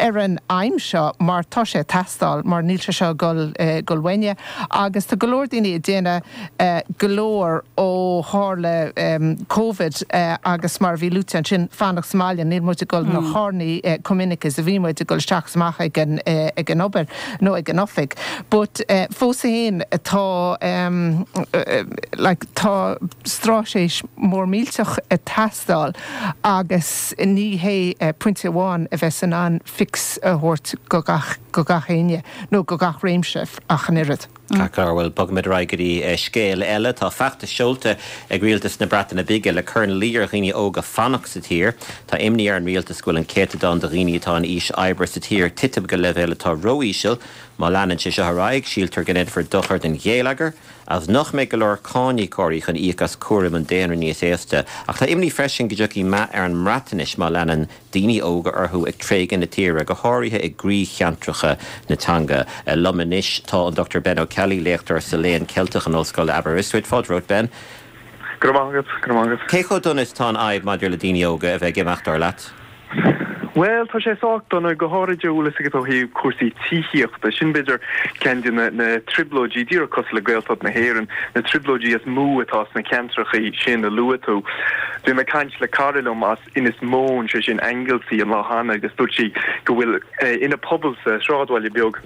ar an aidhm seo mar tá sé ag teastáil mar níl sé seo gul uh, gul uainne agus tá go leor daoine ag déanamh uh, go leor ó tharla um, COVID uh, agus mar bhí luaite ansin fanacht sa mbaile níl muid ag gul na mm. carranna uh, chomh minic is a bhí muid ag gul isteach amach ag an, uh, ag an obair nó ag an oifig. But uh, fós féin tá um, uh, like, tá straitéis mór millteach ag teastáil agus ní hé uh, pointe amháin a bheas in ann fix a thabhairt go gach go gach éinne nó go gach réimse ach an oiread. Ceart bhuel bogfaimid ar aghaidh go dtí scéal eile tá feachtas seolta ag rialtas na Breataine Bige le cur ina luí ar dhaoine óga fanacht sa tír, Tá imní ar an rialtas go bhfuil an céatadán de dhaoine atá in aois oibre sa tír ag titim go leibhéal atá ró-íseal, má leanann sé seo ar aghaidh síltear go ndéanfar dochar don gheilleagar, as nach mbeidh go leor cáiníocóirí chun íoc as cúram an daonra níos aosta, ach tá imní freisin go dtiocfaidh meath ar an mBreatnais má leanann daoine óga orthu ag tréigean na tíre go háirithe i gcroícheantracha na teanga. Liom anois tá an Dr Ben O'Kelly léachtóir sa léann Ceilteach in Ollscoil Aberystwyth fáilte romhat Ben. Cé chomh dona is atá an fhadhb maidir le daoine óga a bheith ag imeacht dar leat? Well tá sé sách dona go háirithe bhfuil a fhios agat ó thaobh cúrsaí tithíochta sin b'fhéidir ceann de na na trioblóidí díreach cosúil le Gaeltacht na hÉireann na trioblóidí is mó atá sna ceantracha sin a luaigh tú. Bhí mé ag caint le cara liom as Inis Móin sé sin Anglesey an lá cheana agus dúirt sí go bhfuil eh, ina pobal sa sráidbhaile beag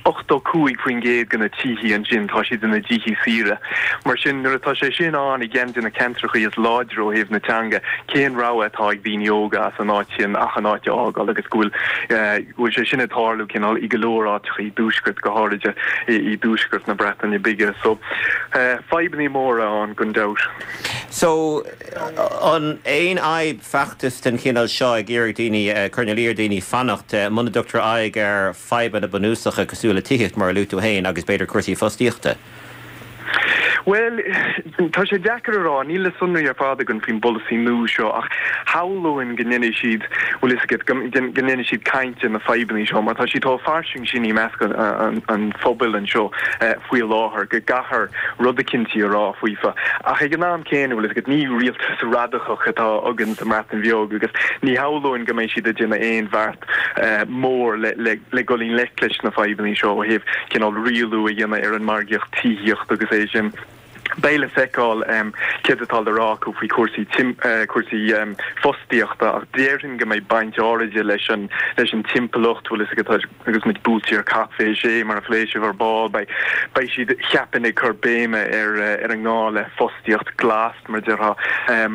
ochtó cúig faoin gcéad de na tithe ansin tá siad ina dtithe saoire. Mar sin nuair atá sé sin ann i gceann de na ceantracha is láidre ó thaobh na teanga, cén rogha atá ag daoine óga as an áit sin ach an áit a fhágáil agus go bhfuil go bhfuil sé sin ag tarlú cineál i go leor áiteacha i dtuaisceart go háirithe i dtuaisceart na Breataine Bige. So fadhbanna móra ann gan dabht. So an aon fhadhb feachtas den chineál seo ag iarraidh daoine cur ina luí ar dhaoine fanacht muna dtugtar aghaidh ar fadhbanna bunúsacha cosúil le tithíocht mar a luaigh tú féin agus b'fhéidir cúrsaí fostaíochta. Bhuel, tá sé deacair a rá, níl na sonraí ar fad againn faoin bpolasaí nua seo ach shamhlóinn go ndéanfaidh siad, bhfuil fhios agat, go ndéanfaidh siad caint ar na fadhbanna seo mar tá siad chomh fairsing sin i measc an phobail anseo faoi láthair go gcaithfear rud eicínt a rá faofa. Ach ag an am céanna, bhfuil fhios agat, ní rialtas radacach atá againn sa mBreatain Bheag agus ní shamhlóinn go mbeidh siad ag déanamh aon bheart mór le dul i ngleic leis na fadhbanna seo ó thaobh cineál rialú a dhéanamh ar an margaíocht tithíochta agus é sin. Beidh le feiceáil céard atá le rá acu faoi chúrsaí cúrsaí fostaíochta ach déarfainn go mbeidh baint áirithe leis an leis an timpeallacht, bhfuil fhios agat, agus muid buailte ar ceathrú fé sé mar a phléigh sibh ar ball, beidh beidh siad cheapfainn ag cur béime ar ar an ngá le fostaíocht glas mar a déarfá.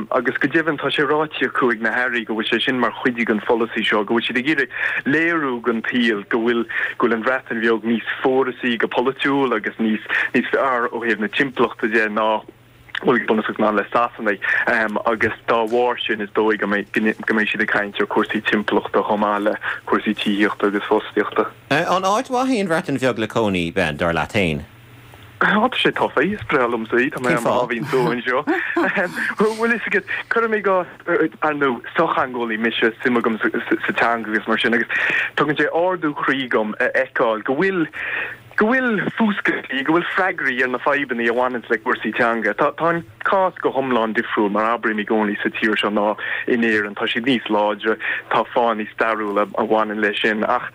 Agus go deimhin tá sé ráite acu ag na hairí go bhfuil sé sin mar chuid den pholasaí seo, go bhfuil siad ag iarraidh léiriú don tsaol go bhfuil go bhfuil an Bhreatain Bheag níos fórasaí go polaitiúil agus níos níos fearr ó thaobh na timpeallachta de ná bhuel go bunúsach ná le Sasanaigh agus dá bharr sin is dóigh go mbeidh go mbeidh siad ag caint ar chúrsaí timpeallachta chomh maith le cúrsaí tithíochta agus fostaíochta. An áit mhaith í an Bhreatain Bheag le cónaí, Ben, dar leat féin? Tá sé tofa, is breá liomsa í, tá mé ar mo sháimhín só anseo. Bhfuil fhios agat, cuirim i gcás, ar ndóigh, sochtheangeolaí mise, suim agam sa teanga agus mar sin, agus tugann sé ardú croí dom a fheiceáil go bhfuil, go bhfuil fuascailtí, go bhfuil freagraí ar na fadhbanna a bhaineanns le cúrsaí teanga. Tá, tá an cás go hiomlán difriúil, mar abraím i gcónaí, sa tír seo ná in Éirinn. Tá siad níos láidre, tá fáthanna stairiúla a bhaineann leis sin, ach,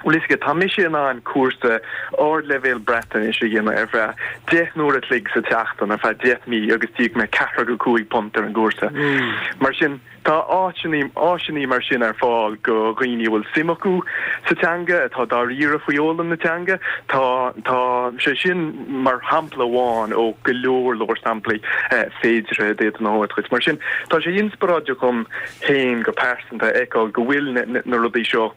Bhfuil fhios agat, tá mise in ann cúrsa ardleibhéil Breatnaise a dhéanamh ar feadh deich n-uair a chloig sa tseachtain ar feadh deich mí agus d'íoc mé ceathracha cúig punt ar an gcúrsa. Mar sin, tá áiteanna, áiseanna mar sin ar fáil go dhaoine a bhfuil suim acu sa teanga, atá dáiríre faoi fhoghlaim na teanga. Tá, tá sé sin mar shampla amháin ó go leor leor samplaí féideartha a d'fhéadfainn a thabhairt dhuit. Mar sin, tá sé inspioráideach dhom féin go pearsanta a fheiceáil go bhfuil na, na rudaí seo,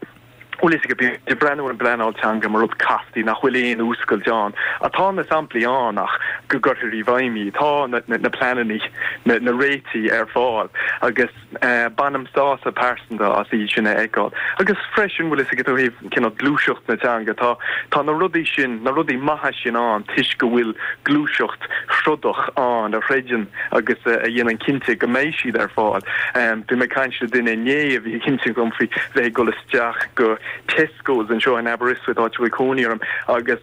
Bhfuil fhios agat, bíonn ag breathnú ar an bpleanáil teanga mar rud casta nach bhfuil aon fhuascailt ann. Ach tá na samplaí ann ach go gcuirfear i bhfeidhm iad. Tá na pleananna, na réitigh ar fáil agus bainim sásamh pearsanta as iad sin a fheiceáil. Agus freisin, bhfuil fhios agat, ó thaobh cineál gluaiseacht na teanga, tá tá na rudaí sin, na rudaí maithe sin ann toisc go bhfuil gluaiseacht throdach ann a throideann agus a dhéanann cinnte go mbeidh siad ar fáil. Bhí mé ag caint le duine inné a bhí ag insint dom faoi bheith ag dul isteach go Tesco's anseo in Aberystwyth, áit a bhfuil cónaí orm, agus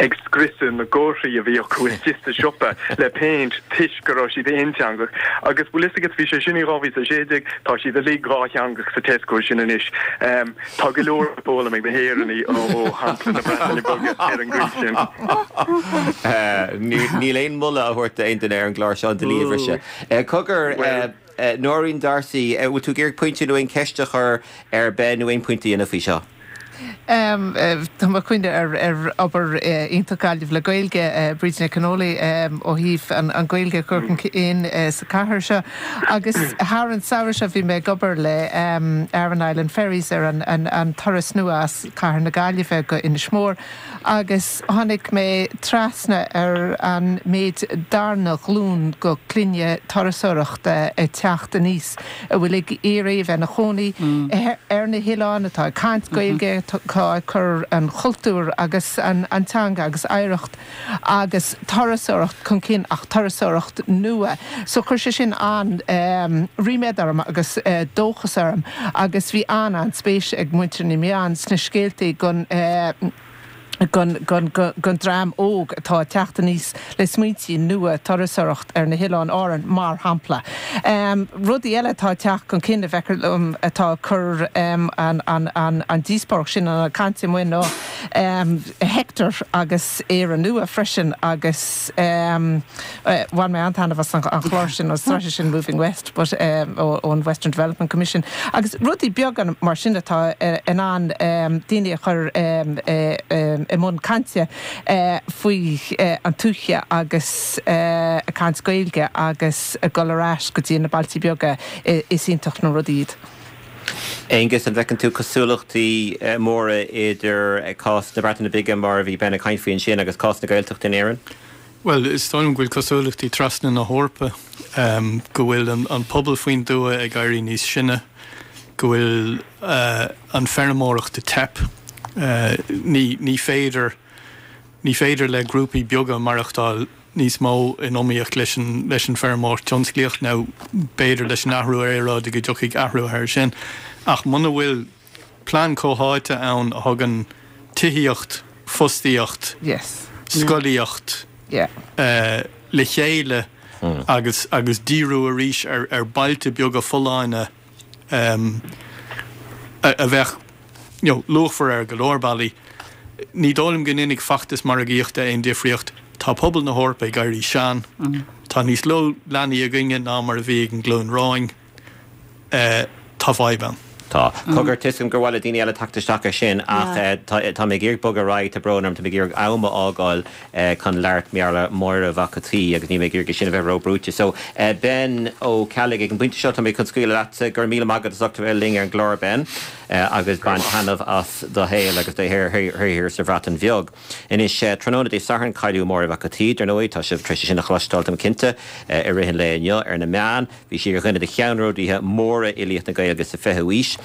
ag scriosadh na gcomharthaí a bhí acu istigh sa siopa le péint toisc go raibh siad aonteangach. Agus bhfuil fhios agat, bhí sé sin i dhá mhíle is a sé déag, tá siad uilig dhátheangach sa Tesco sin anois. Tá go leor le foghlaim ag na hÉireannaigh ó shampla na Breataine Bige ar an gcaoi sin. Níl aon mholadh á thabhairt d'aon duine ar an gclár seo an dlí a bhriseadh. Cogar, Nóirín D'Arcy, an bhfuil tú ag iarraidh pointe nó aon cheist a chur ar Ben nó aon pointe a dhéanamh faoi seo? Tá mé ag cuimhneamh ar obair iontach Gaillimh le Gaeilge, Bríd Nic Con Amhlaigh ó thaobh an Ghaeilge a chur chun cinn sa chathair seo. Agus thar an samhradh seo bhí mé ag obair le Aran Island Ferries ar an turas nua as cathair na Gaillimhe go Inis Mór agus tháinig mé trasna ar an méid darna glúin go clainne turasóireachta ag teacht aníos a bhfuil ag iarraidh a bheith ina chónaí ar na hoileáin, atá ag caint Gaeilge, atá ag cur an chultúr agus an teanga agus oidhreacht agus turasóireacht chun cinn ach turasóireacht nua. So chuir sé sin an-ríméad orm agus dóchas orm agus bhí an-an-spéis ag muintir na meán sna scéaltaí gon gon dream óg atá ag teacht aníos le smaointí nua turasóireacht ar na hOileáin Árann, mar shampla. Rudaí eile atá ag teacht chun cinn a bhfeictear liom atá ag cur an díospóireacht sin, an chaint amuigh ná Hector agus Éire Nua freisin agus bhain mé an-taitneamh as an chlár sin, an sraith sin Moving West but ón Western Development Commission agus rudaí beaga mar sin atá in ann daoine a chur i mbun cainte faoi an tuaithe agus ag caint Gaeilge agus ag dul ar ais go dtí na bailtí beaga, is iontach na rudaí iad. Aengus, an bhfeiceann tú cosúlachtaí móra idir cás na Breataine Bige mar a bhí Ben ag caint faoi ansin agus cás na Gaeltachta in Éirinn? Bhuel, is dóigh liom go bhfuil cosúlachtaí trasna na hEorpa, go bhfuil an pobal faoin dtuath ag éirí níos sine, go bhfuil an feirmeoireacht ag teip. Ní féidir, ní féidir le grúpaí beaga maireachtáil níos mó in iomaíocht leis an leis an feirmeoireacht tionsclaíoch nó b'fhéidir leis an athrú aeráide go dtiocfaidh athrú air sin. Ach muna bhfuil plean comhtháite ann a thugann tithíocht, fostaíocht, Yes. scolaíocht Yeah. uh, le chéile mm. agus agus díriú arís ar ar bailte beaga folláine um, a, a bheith you know, luachmhar ar go leor bealaí. Ní dóigh liom go ndéanfaidh feachtas margaíochta aon difríocht tá pobal na hEorpa ag éirí sean. Mm. Tá níos lú leanaí againne ná mar a bhí ag an nglúin romhainn uh, tá fadhb ann. Tá cogar tuigim gur mhaith le daoine eile teacht isteach ar sin ach tá tá mé ag iarraidh bogadh ar aghaidh tá brón orm tá mé ag iarraidh am a fhágáil chun labhairt mar gheall ar Máire Mhac an tSaoi agus ní mé ag iarraidh sin a bheith róbhrúite. So Ben Ó Ceallaigh ag an bpointe seo tá mé chun scaoileadh leat gur míle maith agat as ucht a bheith linn ar an gclár Ben agus bain taitneamh as do shaol agus do shaothar sa Bhreatain Bheag. Anois tráthnóna Dé Sathairn cailleadh Máire Mhac an tSaoi, dar ndóigh tá sibh tar éis sin a chloisteáil táim cinnte i rith an lae inniu ar na meáin, bhí sí ar dhuine de cheannródaithe móra fhilíocht na Gaeilge sa fichiú haois.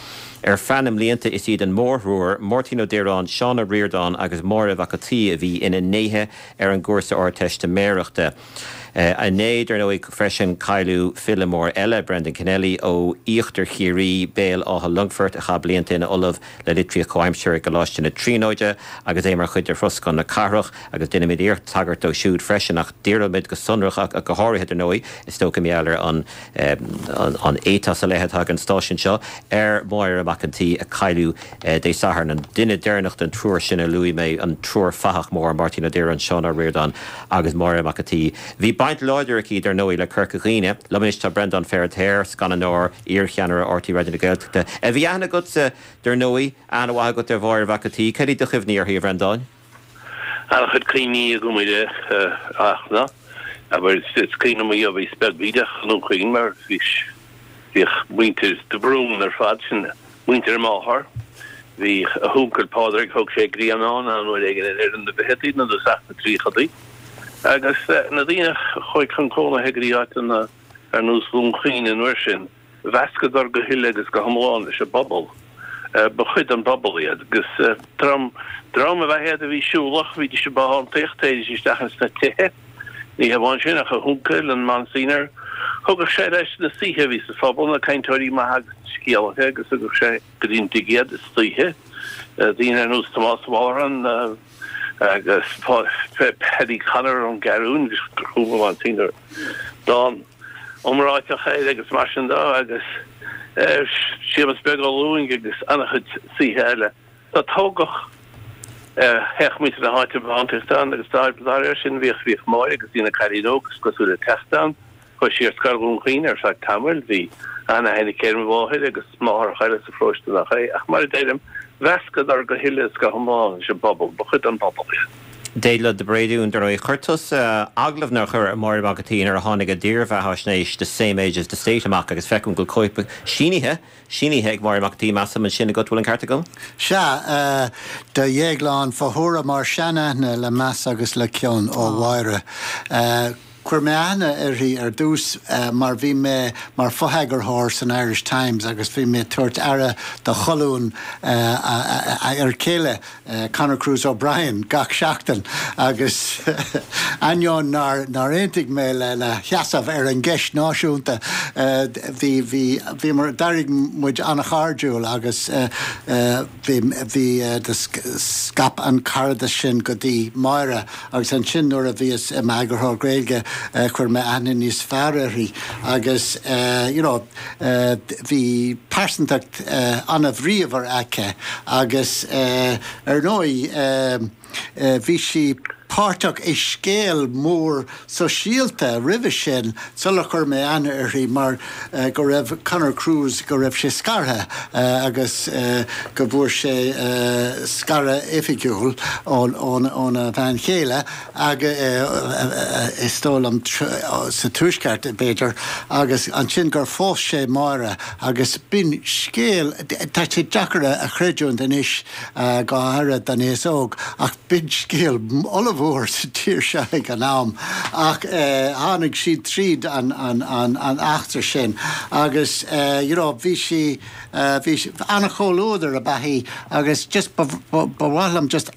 Ar feadh na mblianta is iad an mórthriúr, Máirtín Ó Direáin, Seán Ó Ríordáin agus Máire Mhac an tSaoi a bhí ina ndéithe ar an gcúrsa Ardteistiméireachta. Inné dar ndóigh freisin cailleadh file mór eile Brendan Kennelly ó Íochtar Chiarraí Béal Átha Longfoirt a chaith blianta ina ollamh le litríocht chomhaimseartha i gColáiste na Tríonóide agus é mar chuid de Throscán na Cathrach agus déanfaimid iarracht tagairt dó siúd freisin ach díreoimid go sonrach ach go háirithe dar ndóigh is dócha mar gheall ar an an an éiteas a leithéid an stáisiún seo ar Mháire Mac an tSaoi a cailleadh Dé Sathairn an duine deireanach den triúr sin a luaigh mé an triúr fathach mór Máirtín Ó Direáin Seán Ó Ríordáin agus Máire Mac an tSaoi. Bhí baint láidir aici dar ndóigh le Corca Dhuibhne, Liom anois tá Breandán Feiritéar, scannánóir iarcheannaire RTÉ Raidió na Gaeltachta. A bhí aithne agatsa dar ndóigh aithne mhaith agat ar Mháire Mhac an tSaoi, cad iad do chuimhní uirthi a Bhreandáin? An-chuid cuimhní agam uirthi ach ná abair is cuimhin liom í a bhí beag bídeach i nDún Chaoin mar bhí bhíodh muintir de Brún ar fad sin muintir a máthar. Bhí a huncail Pádraig thug sé grianán an uair éigin i ndeireadh na bhfichidí nó dtosach na dtríochaidí. Agus na daoine a chuaigh chun cónaithe go dtí áiteanna ar nós Dhún Chaoin an uair sin, mheascadar go huile agus go hiomlán leis an bpobal. Ba chuid den bpobal iad agus dream dream ab ea iad a bhí siúlach, bhídís ag bothántaíocht, théidís isteach ins na tithe. Ní hamháin sin ach a huncail, an Monsignor, thugadh sé leis na saoithe a bhí sa phobal, na cainteoirí maithe agus na scéalaithe agus thugadh sé go dtí an tigh iad istoíche. Daoine ar nós Tomás Mulhern, agus Paddy Connor ón gCeathrún, gur chum an Monsignor dán iomráiteach air agus mar sin de agus Séamus Beag Ó Lúing agus an-chuid saoithe eile. So tógadh théadh muintir na háite ag bothántaíocht ann agus dá réir sin bhíodh bhíodh Máire agus í ina cailín óg is cosúil ag teacht ann. Chuaigh sí ar scoil Dhún Chaoin ar feadh tamaill, bhí an-aithne aici ar mo mháthair agus máithreacha eile sa pharóiste nach é, ach mar a deirim, mheascadar go huile is go hiomlán leis an bpobal, ba chuid den bpobal iad. Déaglán de Bréadún, dar ndóigh, chuir tusa agallamh nó chuir Máire Mhac an tSaoi nuair a tháinig a dírbheathaisnéis The Same Age as the State amach agus feicim go bhfuil cóip sínithe, sínithe ag Máire Mac an tSaoi, measaim ansin agat, bhfuil an ceart agam? Sea, do Dhéaglán fá thuairim ár seanaithne le meas agus le cion ó Mháire. Chuir mé aithne uirthi ar dtús mar bhí mé mar fho-eagarthóir san Irish Times agus bhí mé ag tabhairt aire do cholún a fhear céile, Conor Cruise O'Brien, gach seachtain agus ainneoin nár nár aontaigh mé lena sheasamh ar an gceist náisiúnta bhí bhí bhíomar d'éirigh muid an-chairdiúil agus bhí bhí scaip an caradas sin go dtí Máire agus ansin nuair a bhíos i m'eagarthóir Gaeilge chuir mé aithne níos fearr uirthi agus you know bhí pearsantacht an-bhríomhar aici agus ar ndóigh bhí sí páirteach i scéal mór sóisialta roimhe sin sular chuir mé aithne uirthi mar go raibh Conor Cruise go raibh sé scartha agus go bhfuair sé scaradh oifigiúil óna bhean chéile is dóigh liom sa Tuaisceart b'fhéidir agus ansin gur phós sé Máire agus b'in scéal tá sé deacair a chreidiúint anois go háirithe don aos óg ach b'in scéal ollmhór. an-mhór sa tír seo ag an am ach tháinig siad tríd an an an an eachtra sin agus you know bhí sí bhí an-chomhluadar ab ea í agus just ba mhaith liom just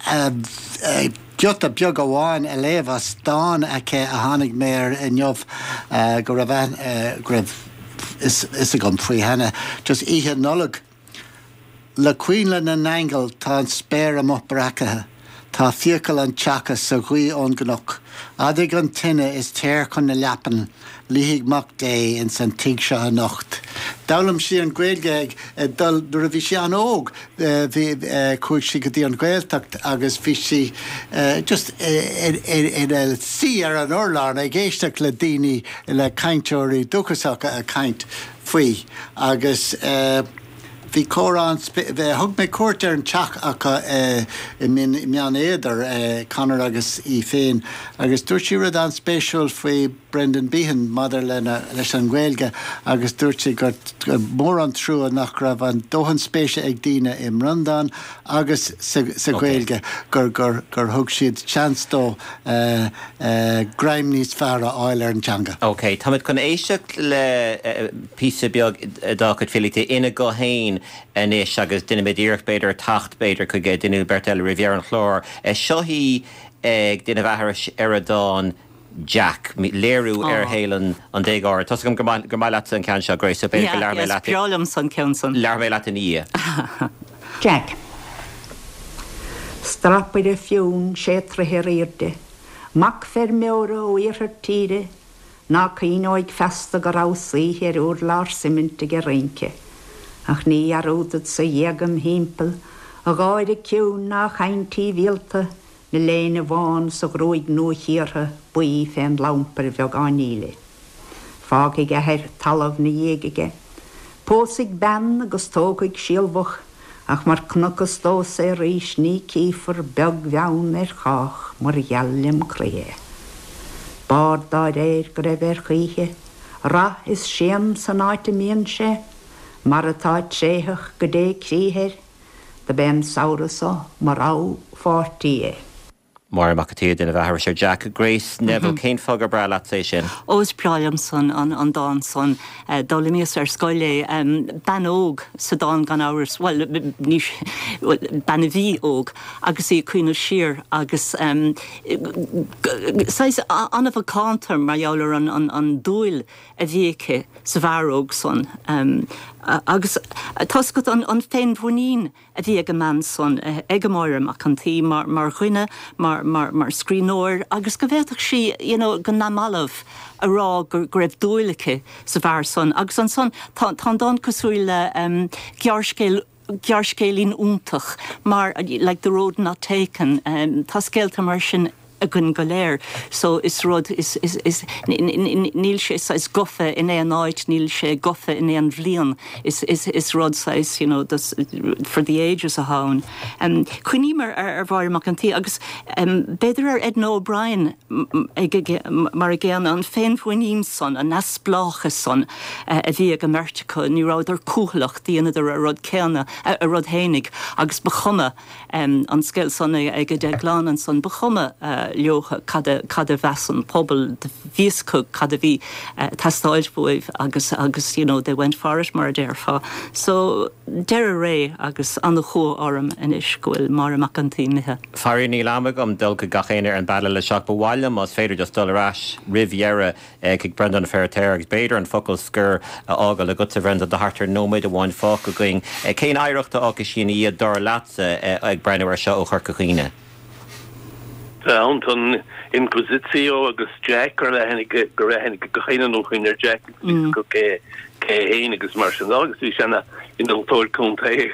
giota beag amháin a léamh as dán aici a tháinig mé air inniu go raibh go raibh fhios agam faoi cheana just Oíche Nollag. Le coinnle na n-aingeal tá an spéir amuigh breacaithe, tá fiacail an tseaca sa ghaoth ón gcnoc. Adaigh an tine is téir chun na leapan, luífidh Mac Dé ins an tigh seo anocht. D'fhoghlaim sí an Ghaeilge ag dul nuair a bhí sí an-óg, bhí chuaigh sí go dtí an Ghaeltacht agus bhí sí just ina suí ar an urlár ag éisteacht le daoine, le cainteoirí dúchasacha ag caint faoi agus. Bhí comhrá an, thug mé cuairt ar an teach acu i mBeann Éadair, Conor agus í féin, agus dúirt sí rud an-spéisiúil faoi Brendan Behan maidir lena, leis an nGaeilge agus dúirt sí gur mór an trua nach raibh an dóthain spéise ag daoine i mBreandán agus sa Ghaeilge, gur, gur, gur thug siad seans dó greim níos fearr a fháil ar an teanga. Ok, táimid chun éisteacht le píosa beag dá cuid filíochta ina guth féin anois agus déanfaimid iarracht b'fhéidir teacht b'fhéidir chuig duine nó beirt eile roimh dheireadh an chláir. Seo í ag déanamh aithris ar a dán Jack, léiriú ar shaol an déagóra. Tá's agam gur maith leatsa an ceann seo, Grace, so b'fhéidir go labhróidh mé leat. Is breá liomsa an ceann san. Labhróidh mé leat ina dhiaidh. Jack. Strapaire fionn sé troithe ar airde, mac feirmeora ó iarthar tíre, Ná cuimhneoidh feasta go rabhas oíche ar urlár suimint ag rince, ach ní dhearúdfadsa a ghéaga im thimpeall, a gháire ciúin ná a chaint shuibhialta, 'na léine bhán 's a ghruaig nua-chíortha buí fén lampair bheag fháinníle. Fágfaidh a athair talamh 'na dhiaidh aige, pósfaidh bean agus tógfaidh sealbhach, Ach mar chonacthas domhsa é arís ní chífear beag bheann ar chách mar gheal lem chroí é. B'ard dá réir go raibh air choíche, rath is séan san áit a mbíonn sé, mar atá tréitheach go dté crích air, do b'é an samhradh so mo rogha pháirtí é. Máire Mac an tSaoi ag déanamh aithris ar Jack. Grace Neville, cén fáth gur breá leatsa é sin? Ó is breá liomsa an dán san. D'fhoghlaimíos ar scoil é. Bean óg sa dán gan amhras, bhuel, ní, bhuel, bean a bhí óg agus í ag cuimhneamh siar agus saghas an-mhacánta mar gheall ar an dúil a bhí aici sa bhfear óg san. Agus tá's agat an féinmhuinín a bhí ag an mbean san, ag Máire Mac an tSaoi, mar, mar dhuine, mar, mar, mar scríbhneoir agus go bhféadfadh sí, you know, go neamhbhalbh a rá go, go raibh dúil aici sa bhfear san. Agus ansan, tá, tá an dán cosúil le um, gearrscéal gearrscéilín iontach mar like The Road Not Taken, um, tá scéalta mar sin againn go léir. So is rud, is, is, is, níl sé saghas gofa in aon áit, níl sé gofa in aon bhliain. Is, is, is rud saghas, you know, this, for the ages atá ann. Um, Cuimhním ar, ar, ar Mháire Mac an tSaoi agus um, b'fhéidir ar Edna O'Brien ag, ag, mar a gcéanna an féinmhuinín san, an neamhspleáchas san uh, a bhí ag an mbeirt acu, ní rabhadar cúthaileach, dheineadar a rud céanna, a, a rud fhéinig agus ba chuma um, an scéal san ag Déaglán ansan, ba chuma uh, leo cad a, cad a mheas an pobal, bhí a fhios acu cad a bhí ag teastáil uaibh agus agus you know, they went for it mar a déarfá. So deireadh ré agus an-chumha orm anois go bhfuil Máire Mac an tSaoi imithe. Faraor níl am agam dul go gach éinne ar an bpainéal leis ach ba mhaith liom más féidir just dul ar ais roimh dheireadh chuig Breandán Ó Feirtéar agus b'fhéidir an focal scoir a fhágáil agatsa a Bhreandáin tá thart ar nóiméad amháin fágtha againn. Cén oidhreacht a fhágfaidh sí ina dhiaidh dar leatsa ag breathnú air seo ó Chorca Dhuibhne? Tá an Inquisitio agus Jack gur aithne gur aithne gach éinne nó chuin ar Jack go cé cé héin agus mar sin agus bhí sé ina innealtóir contae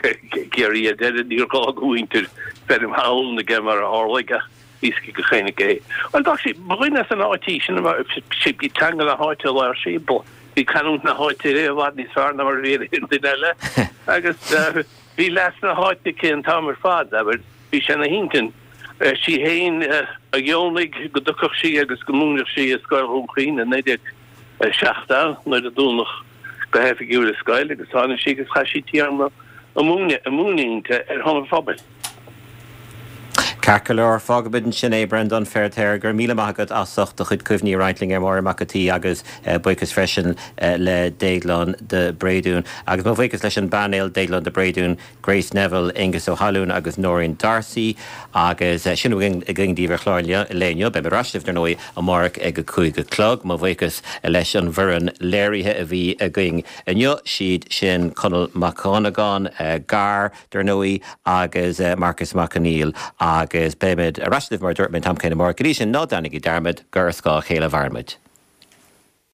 Ciarraí ar deireadh níor ghá go mhuintir feirm thall aige mar a tharlaigh ach bhí a fhios ag gach éinne cé. Bhuel dá sí ba dhuine as an áit í sin sí bhí teanga na háite a labhair sí bhí canúint na háite i bhfad níos fearr ná mar a bhí ag aon duine eile agus bhí leas na háite aici an t-am ar fad abair bhí sé ina hintinn. Sí fhéin a dheonaigh go dtiocfadh sí agus go múinfeadh sí i Scoil Dhún Chaoin i naoi déag seachtó nuair a dúnadh go hoifigiúil an scoil agus tháinig sí agus chaith sí téarma ag múineadh inti ar shon an phobail. Ceart go leor, fágfaimid ansin é, Breandán Feiritéar, go raibh míle maith agat as ucht do chuid cuimhní a roinnt linn ar Máire Mac an tSaoi agus buíochas freisin le Déaglán de Bréadún. Agus mo bhuíochas leis an bpainéal, Déaglán de Bréadún, Grace Neville, Aengus Ó hAlúin agus Nóirín D'Arcy. Agus sin a bhfuil againn daoibh ar chlár an lae inniu. Beimid ar ais libh, dar ndóigh, amárach ag a cúig a chlog. Mo bhuíochas leis an bhfoireann léirithe a bhí againn inniu, siad sin Conall Mac Dhonnagáin, Gar, dar ndóigh, agus Marcus Mac Conghail agus beimid ar ais libh mar a dúirt mé an t-am céanna amárach. Go dtí sin, ná déanaigí dearmad gur ar scáth a chéile a mhaireann muid.